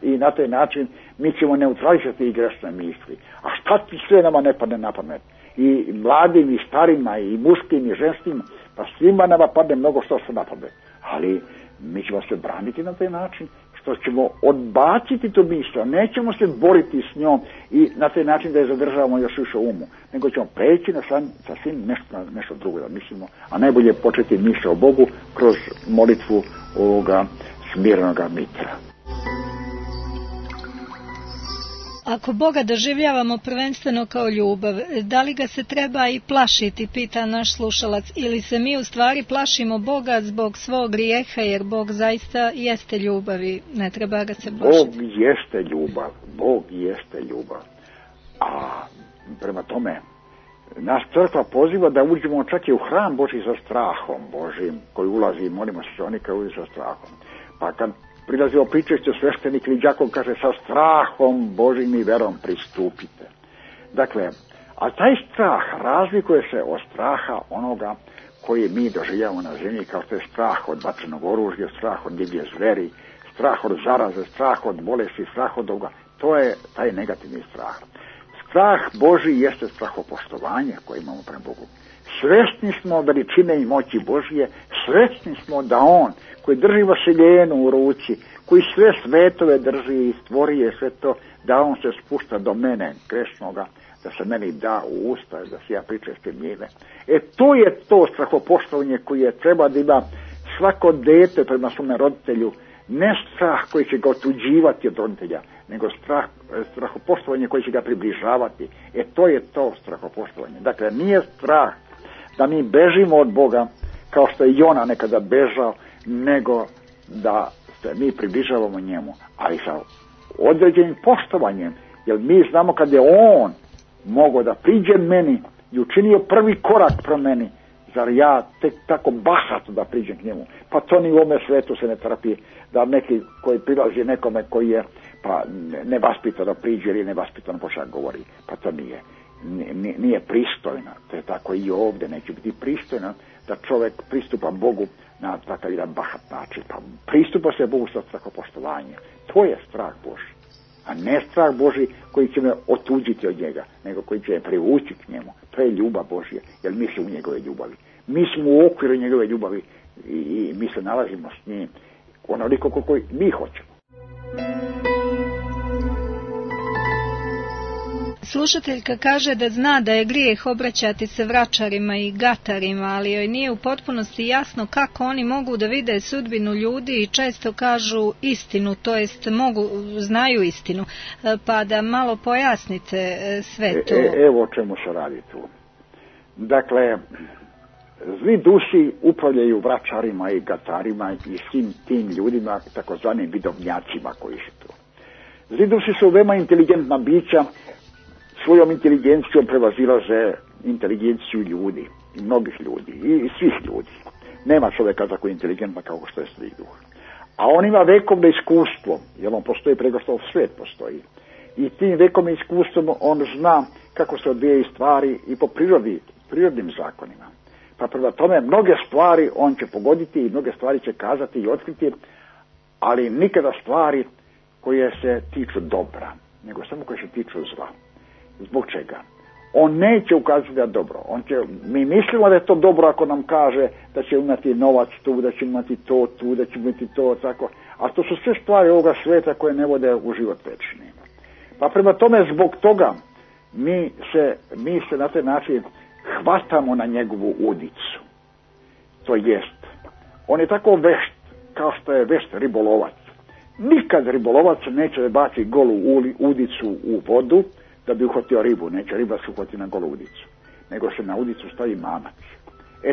I na taj način mi ćemo neutralizati i grešne misli. A šta ti sve nama ne padne na pamet? I mladim, i starima, i muškim, i ženskim, pa svima nama padne mnogo što na pamet. Ali mi ćemo se braniti na taj način što ćemo odbaciti tu misao, nećemo se boriti s njom i na taj način da je zadržavamo još više umu, nego ćemo preći na sasvim nešto drugo da mislimo, a najbolje je početi misao o Bogu kroz molitvu ovoga smirenoga mitra. Ako Boga doživljavamo prvenstveno kao ljubav, da li ga se treba i plašiti, pita naš slušalac, ili se mi u stvari plašimo Boga zbog svog grijeha, jer Bog zaista jeste ljubav i ne treba ga se plašiti? Bog jeste ljubav. A prema tome, naš crkva poziva da uđemo čak i u hram Božji sa strahom Božjim, koji ulazi, molimo se oni koji ulazi sa strahom. Pa kad prilazi o pričešću sveštenik ili đakon, kaže: sa strahom Božjim i verom pristupite. Dakle, a taj strah razlikuje se od straha onoga koji mi doživljavamo na zemlji, kao što je strah od vatrenog oružja, strah od divlje zveri, strah od zaraze, strah od bolesti, strah od ovoga. To je taj negativni strah. Strah Božji jeste strahopoštovanje koje imamo prema Bogu. Svesni smo veličine i moći Božje, svesni smo da On koji drži vaseljenu u ruci, koji sve svetove drži i stvori je sve to, da On se spušta do mene, grešnoga, da se meni da u usta, da se ja pričestim njime. To je to strahopoštovanje koje treba da ima svako dete prema svome roditelju, ne strah koji će ga otuđivati od roditelja, nego strahopoštovanje koji će ga približavati. To je to strahopoštovanje. Dakle, nije strah da mi bežimo od Boga, kao što je Jona nekada bežao, nego da se mi približavamo njemu, ali sa određenim poštovanjem, jer mi znamo kad je On mogao da priđe meni i učinio prvi korak pro meni, zar ja tek tako bahato da priđem k njemu? Pa to ni u ovome svetu se ne trpi, da neki koji prilazi nekome koji je pa nevaspitano priđe ili nevaspitano počak govori, pa to nije pristojno. To je tako i ovdje, neće biti pristojno da čovjek pristupa Bogu na takav jedan bahat način. Pa pristupa se Bogu sa strahopoštovanjem. To je strah Božji, a ne strah Božji koji će me otuđiti od njega, nego koji će me privući k njemu. To je ljubav Božja, jer mi smo u njegove ljubavi. Mi smo u okviru njegove ljubavi i mi se nalazimo s njim onoliko koliko mi hoćemo. Slušateljka kaže da zna da je grijeh obraćati se vračarima i gatarima, ali joj nije u potpunosti jasno kako oni mogu da vide sudbinu ljudi i često kažu istinu, to jest znaju istinu, pa da malo pojasnite sve to. Evo o čemu se radi tu. Dakle, zli duši upravljaju vračarima i gatarima i svim tim ljudima, takozvanim vidovnjacima koji su tu. Zli duši su veoma inteligentna bića, svojom inteligencijom prevazilaze inteligenciju ljudi, i mnogih ljudi, i svih ljudi. Nema čovjeka tako inteligentna kao što je zli duh. A on ima vekovno iskustvo, jer on postoji preko što svijet postoji. I tim vekovnim iskustvom on zna kako se odvijaju stvari i po prirodnim zakonima. Pa prema tome mnoge stvari on će pogoditi i mnoge stvari će kazati i otkriti, ali nikada stvari koje se tiču dobra, nego samo koje se tiču zla. Zbog čega? On neće ukazati da je dobro. Mi mislimo da je to dobro ako nam kaže da će imati novac tu, da će imati to tu, da će imati to tako. A to su sve stvari ovoga sveta koje ne vode u život večni. Pa prema tome zbog toga mi se na taj način hvatamo na njegovu udicu. To jest, on je tako vešt kao što je vešt ribolovac. Nikad ribolovac neće baci golu udicu u vodu da bi uhvatio ribu. Neće riba se uhvati na golu udicu, nego se na udicu stavi mamac.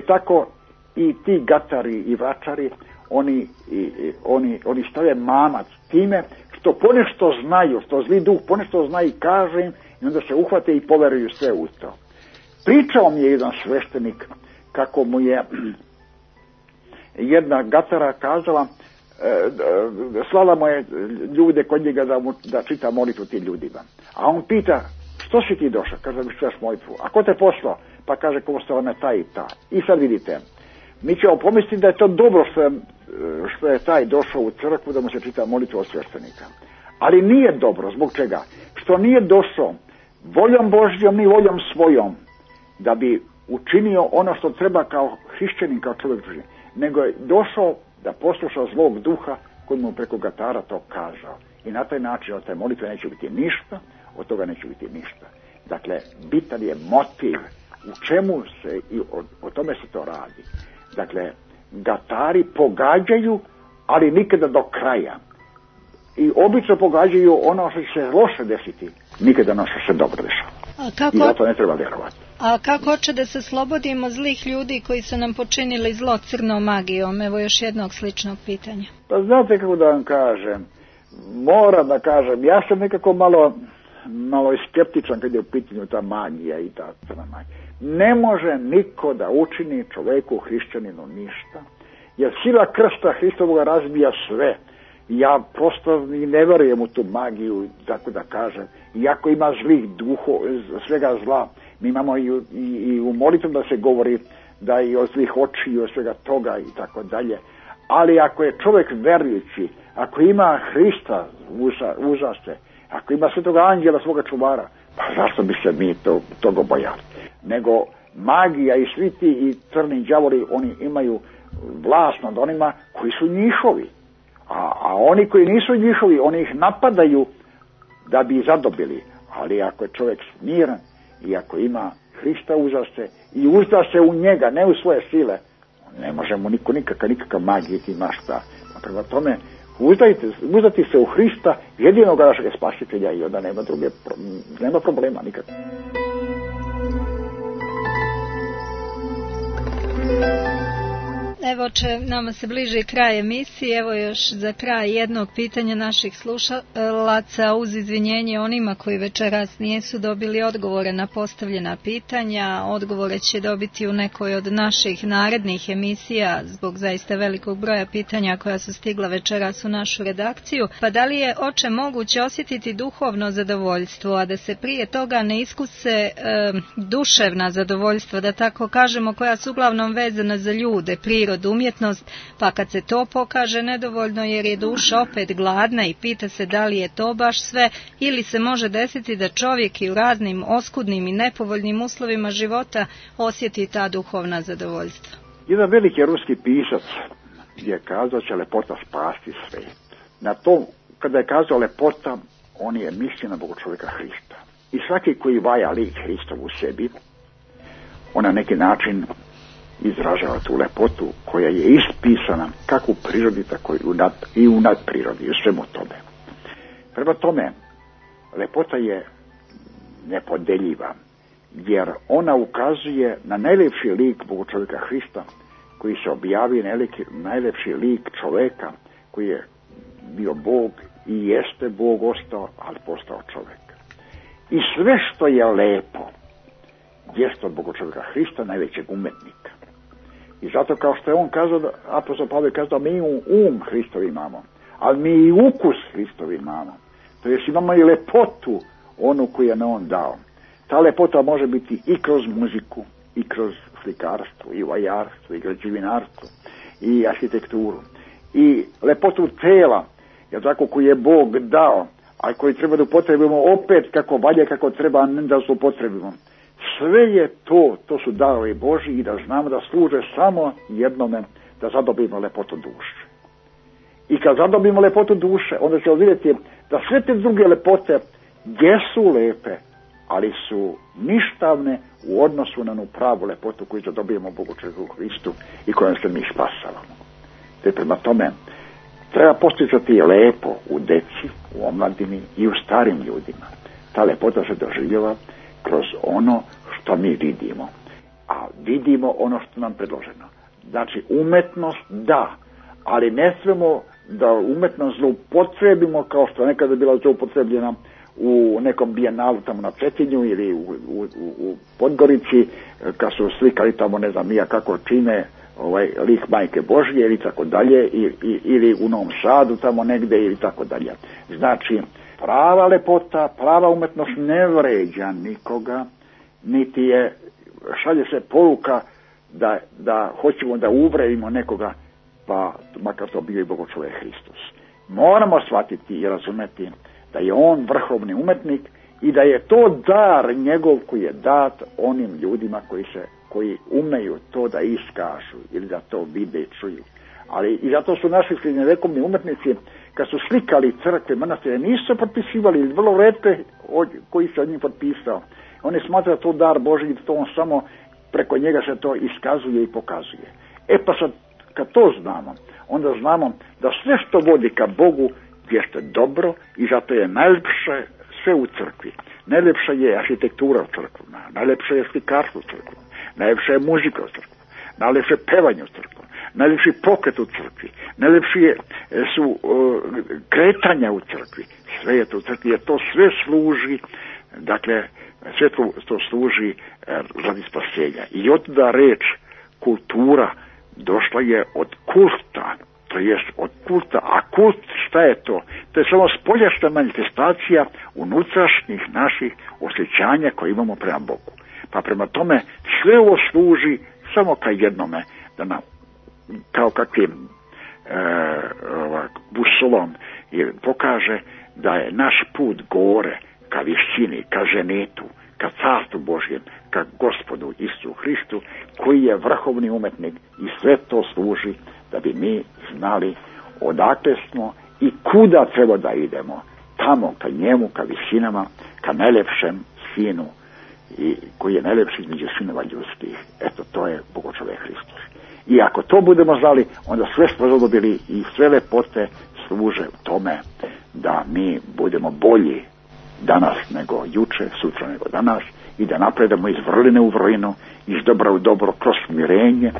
Tako i ti gatari i vračari, oni stave mamac time što ponešto znaju, što zli duh ponešto zna i kaže im, i onda se uhvate i poveruju sve u to. Pričao mi je jedan sveštenik kako mu je jedna gatara kazala, slala mu je ljude kod njega da čita molitvu tim ljudima. A on pita, što si ti došao? Kaže, da mi čitaš molitvu. A ko te poslao? Pa kaže, ko postala me ta i ta. I sad vidite, mi ćemo pomisliti da je to dobro što je taj došao u crkvu da mu se čita molitva od sveštenika. Ali nije dobro. Zbog čega? Što nije došao voljom Božjom ni voljom svojom da bi učinio ono što treba kao hrišćanin, kao čovjek Božji, nego je došao da posluša zlog duha koji mu preko gatara to kazao. I na taj način od te molitve neće biti ništa, od toga neće biti ništa. Dakle, bitan je motiv u čemu se i o tome se to radi. Dakle, gatari pogađaju, ali nikada do kraja. I obično pogađaju ono što će se loše desiti, nikada ono što se dobro dešava. I zato ne treba vjerovati. A kako hoće da se slobodimo zlih ljudi koji su nam počinili zlo crnom magijom? Evo još jednog sličnog pitanja. Pa znate kako da vam kažem, moram da kažem, ja sam nekako malo skeptičan kad je u pitanju ta magija i ta crna magija. Ne može niko da učini čoveku hrišćaninu ništa, jer sila krsta Hristovoga razbija sve. Ja prosto ne verujem u tu magiju, tako da kažem. Iako ima zlih duhova, svega zla, mi imamo i u molitvu da se govori da i o zlih oči i o svega toga i tako dalje. Ali ako je čovjek verujući, ako ima Hrista užaste, ako ima svetoga anđela svoga čuvara, pa zašto bi se mi toga bojali? Nego magija i svi ti i crni đavoli, oni imaju vlast nad onima koji su njihovi. A oni koji nisu njihovi, oni ih napadaju da bi zadobili. Ali ako je čovjek smiren i ako ima Hrista uzda i uzda se u njega, ne u svoje sile, ne može mu nikakav magijeti ima šta. Prema tome, uzdati se u Hrista, jedinog našeg spasitelja, i onda nema problema nikad. Evo nama se bliži kraj emisije, evo još za kraj jednog pitanja naših slušalaca uz izvinjenje onima koji večeras nisu dobili odgovore na postavljena pitanja. Odgovore će dobiti u nekoj od naših narednih emisija zbog zaista velikog broja pitanja koja su stigla večeras u našu redakciju. Pa da li je, oče, moguće osjetiti duhovno zadovoljstvo, a da se prije toga ne iskuse duševna zadovoljstva, da tako kažemo, koja su uglavnom vezana za ljude, prirodu, umjetnost, pa kad se to pokaže nedovoljno jer je duša opet gladna i pita se da li je to baš sve, ili se može desiti da čovjek i u raznim oskudnim i nepovoljnim uslovima života osjeti ta duhovna zadovoljstva. Jedan veliki ruski pisac je kazao će lepota spasti svijet. Na to, kada je kazao lepota, on je mislio na Boga čovjeka Hrista. I svaki koji vaja lik Hristov u sebi, on na neki način izražava tu lepotu koja je ispisana kako u prirodi, tako i u nadprirodi, u svemu tome. Prema tome, lepota je nepodeljiva, jer ona ukazuje na najlepši lik Boga čovjeka Hrista, koji se objavi najlepši lik čovjeka, koji je bio Bog i jeste Bog ostao, ali postao čovjek. I sve što je lepo jeste od Boga čovjeka Hrista, najvećeg umetnika. I zato kao što je on kazao, apostol Pavle kazao, mi Hristov imamo, ali mi i ukus Hristov imamo. To jest imamo i lepotu onu koju je on dao. Ta lepota može biti i kroz muziku, i kroz slikarstvo, i vajarstvo, i građevinarstvo, i arhitekturu. I lepotu tela, jer tako koju je Bog dao, a koji treba da upotrebimo opet kako valje, kako treba, ne da se upotrebimo. sve je to su darovi Božji i da znamo da služe samo jednome, da zadobimo lepotu duše. I kad zadobimo lepotu duše, onda ćemo vidjeti da sve te druge lepote jesu lepe, ali su ništavne u odnosu na onu pravu lepotu koju zadobijemo Bogu čovjeku Hristu i kojom se mi spasavamo. Te prema tome treba posticati lepo u deci, u omladini i u starim ljudima. Ta lepota se doživljava kroz ono što mi vidimo. A vidimo ono što nam predloženo. Znači umetnost da, ali ne smemo da umetnost zloupotrebimo kao što nekada bila zloupotrebljena u nekom bijenalu tamo na Cetinju ili u Podgorici, kad su slikali tamo ne znam nija kako čine lik Majke Božje ili tako dalje, ili u Novom Sadu tamo negde ili tako dalje. Znači, prava lepota, prava umetnost ne vređa nikoga, niti je, šalje se poruka da hoćemo da uvredimo nekoga, pa makar to bio i Bogo čovjek Hristos. Moramo shvatiti i razumeti da je on vrhovni umetnik i da je to dar njegov koji je dat onim ljudima koji umeju to da iskažu ili da to vide i čuju. Ali i zato su naši srednjevekovni umetnici, kad su slikali crkve, manastire, nisu potpisivali, vrlo retke koji se od njih potpisao. Oni smatraju to dar Božji i to on samo preko njega se to iskazuje i pokazuje. Pa sad, kad to znamo, onda znamo da sve što vodi ka Bogu jeste dobro i zato je najljepše sve u crkvi. Najljepša je arhitektura u crkvu, najljepše je slikarstvo u crkvu, najljepša je muzika u crkvu, najljepše je pevanje u crkvu, najljepši pokret u crkvi, najljepši su kretanja u crkvi. Sve je to u crkvi, jer to sve služi, dakle, sve to služi radi spasenja. I otuda reč kultura došla je od kulta, to jest od kulta. A kult, šta je to? To je samo spoljašnja manifestacija unutrašnjih naših osjećanja koje imamo prema Bogu. Pa prema tome sve ovo služi samo ka jednome, da nam, kao kakvim busolom pokaže da je naš put gore ka višini, ka ženetu, ka carstvu Božjem, ka Gospodu Isusu Hristu, koji je vrhovni umetnik i sve to služi da bi mi znali odakle smo i kuda treba da idemo, tamo ka njemu, ka visinama, ka najlepšem sinu i koji je najlepši između sinova ljudskih. Eto, to je Bogočovek Hristos. I ako to budemo znali, onda sve smo zadobili i sve lepote služe u tome da mi budemo bolji danas nego juče, sutra nego danas i da napredamo iz vrline u vrlinu, iz dobra u dobro, kroz smirenje,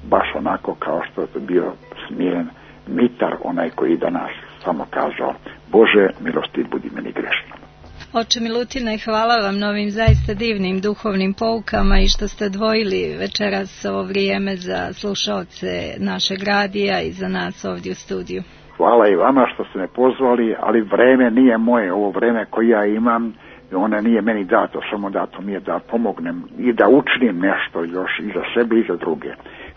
baš onako kao što je bio smiren Mitar, onaj koji danas samo kazao: Bože, milosti budi meni grešnom. Oče Milutine, hvala vam na ovim zaista divnim duhovnim poukama i što ste odvojili večeras ovo vrijeme za slušaoce našeg radija i za nas ovdje u studiju. Hvala i vama što ste me pozvali, ali vreme nije moje, ovo vreme koje ja imam, ona nije meni dato, samo dato mi je da pomognem i da učinim nešto još i za sebe i za druge.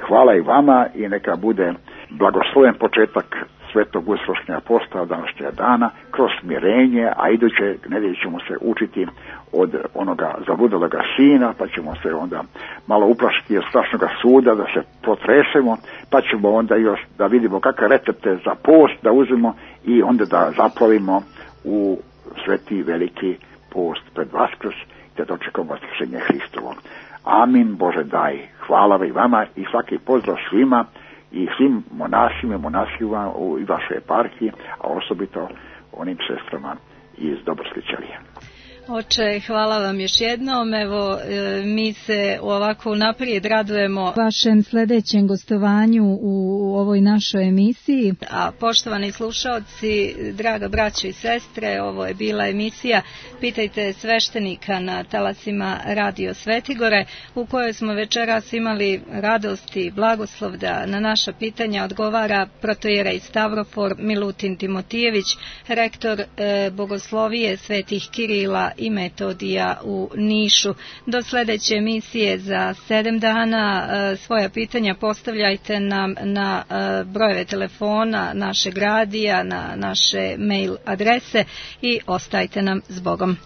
Hvala i vama i neka bude blagosloven početak Svetog uskršnjega posta današnjega dana kroz smirenje, a iduće nedelje ćemo se učiti od onoga zabludeloga sina, pa ćemo se onda malo uplašiti od strašnog suda, da se potresemo, pa ćemo onda još da vidimo kakve recepte za post da uzmemo i onda da zaplovimo u sveti veliki post pred Vaskrs, da dočekamo vaskrsenje Hristovo. Amin, Bože daj. Hvala i vama i svaki pozdrav svima i svim monasima, monasima u vašoj eparhiji, a osobito onim sestrama iz Dobrske ćelije. Oče, hvala vam još jednom. Evo, mi se ovako naprijed radujemo vašem sljedećem gostovanju u ovoj našoj emisiji. A poštovani slušaoci, draga braćo i sestre, ovo je bila emisija Pitajte sveštenika na talasima Radio Svetigore, u kojoj smo večeras imali radost i blagoslov da na naša pitanja odgovara protojerej Stavrofor Milutin Timotijević, rektor Bogoslovije Svetih Kirila i Metodija u Nišu. Do sljedeće emisije za 7 dana svoja pitanja postavljajte nam na brojeve telefona našeg radija, na naše mail adrese i ostajte nam s Bogom.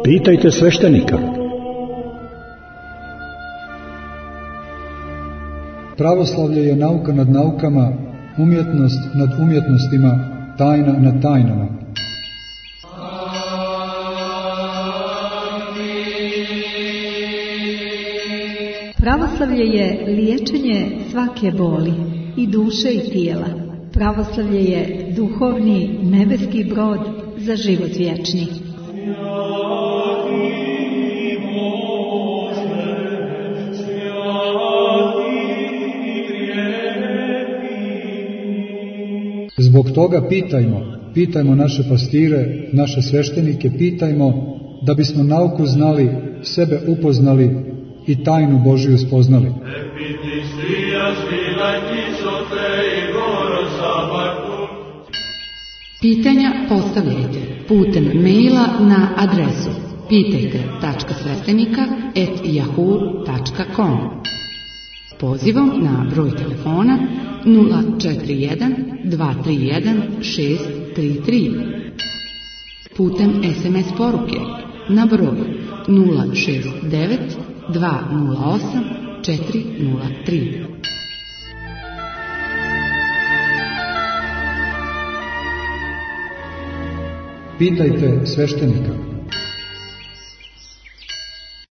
Pitajte sveštenika. Pravoslavlje je nauka nad naukama, umjetnost nad umjetnostima, tajna nad tajnama. Pravoslavlje je liječenje svake boli, i duše i tijela. Pravoslavlje je duhovni nebeski brod za život vječni. Zbog toga pitajmo naše pastire, naše sveštenike, pitajmo da bismo nauku znali, sebe upoznali i tajnu Božiju spoznali. Pitanja postavljajte putem maila na adresu pitajte.sveštenika@yahoo.com. Pozivom na broj telefona 041 231 633. Putem SMS poruke na broj 069 208 403. Pitajte sveštenika.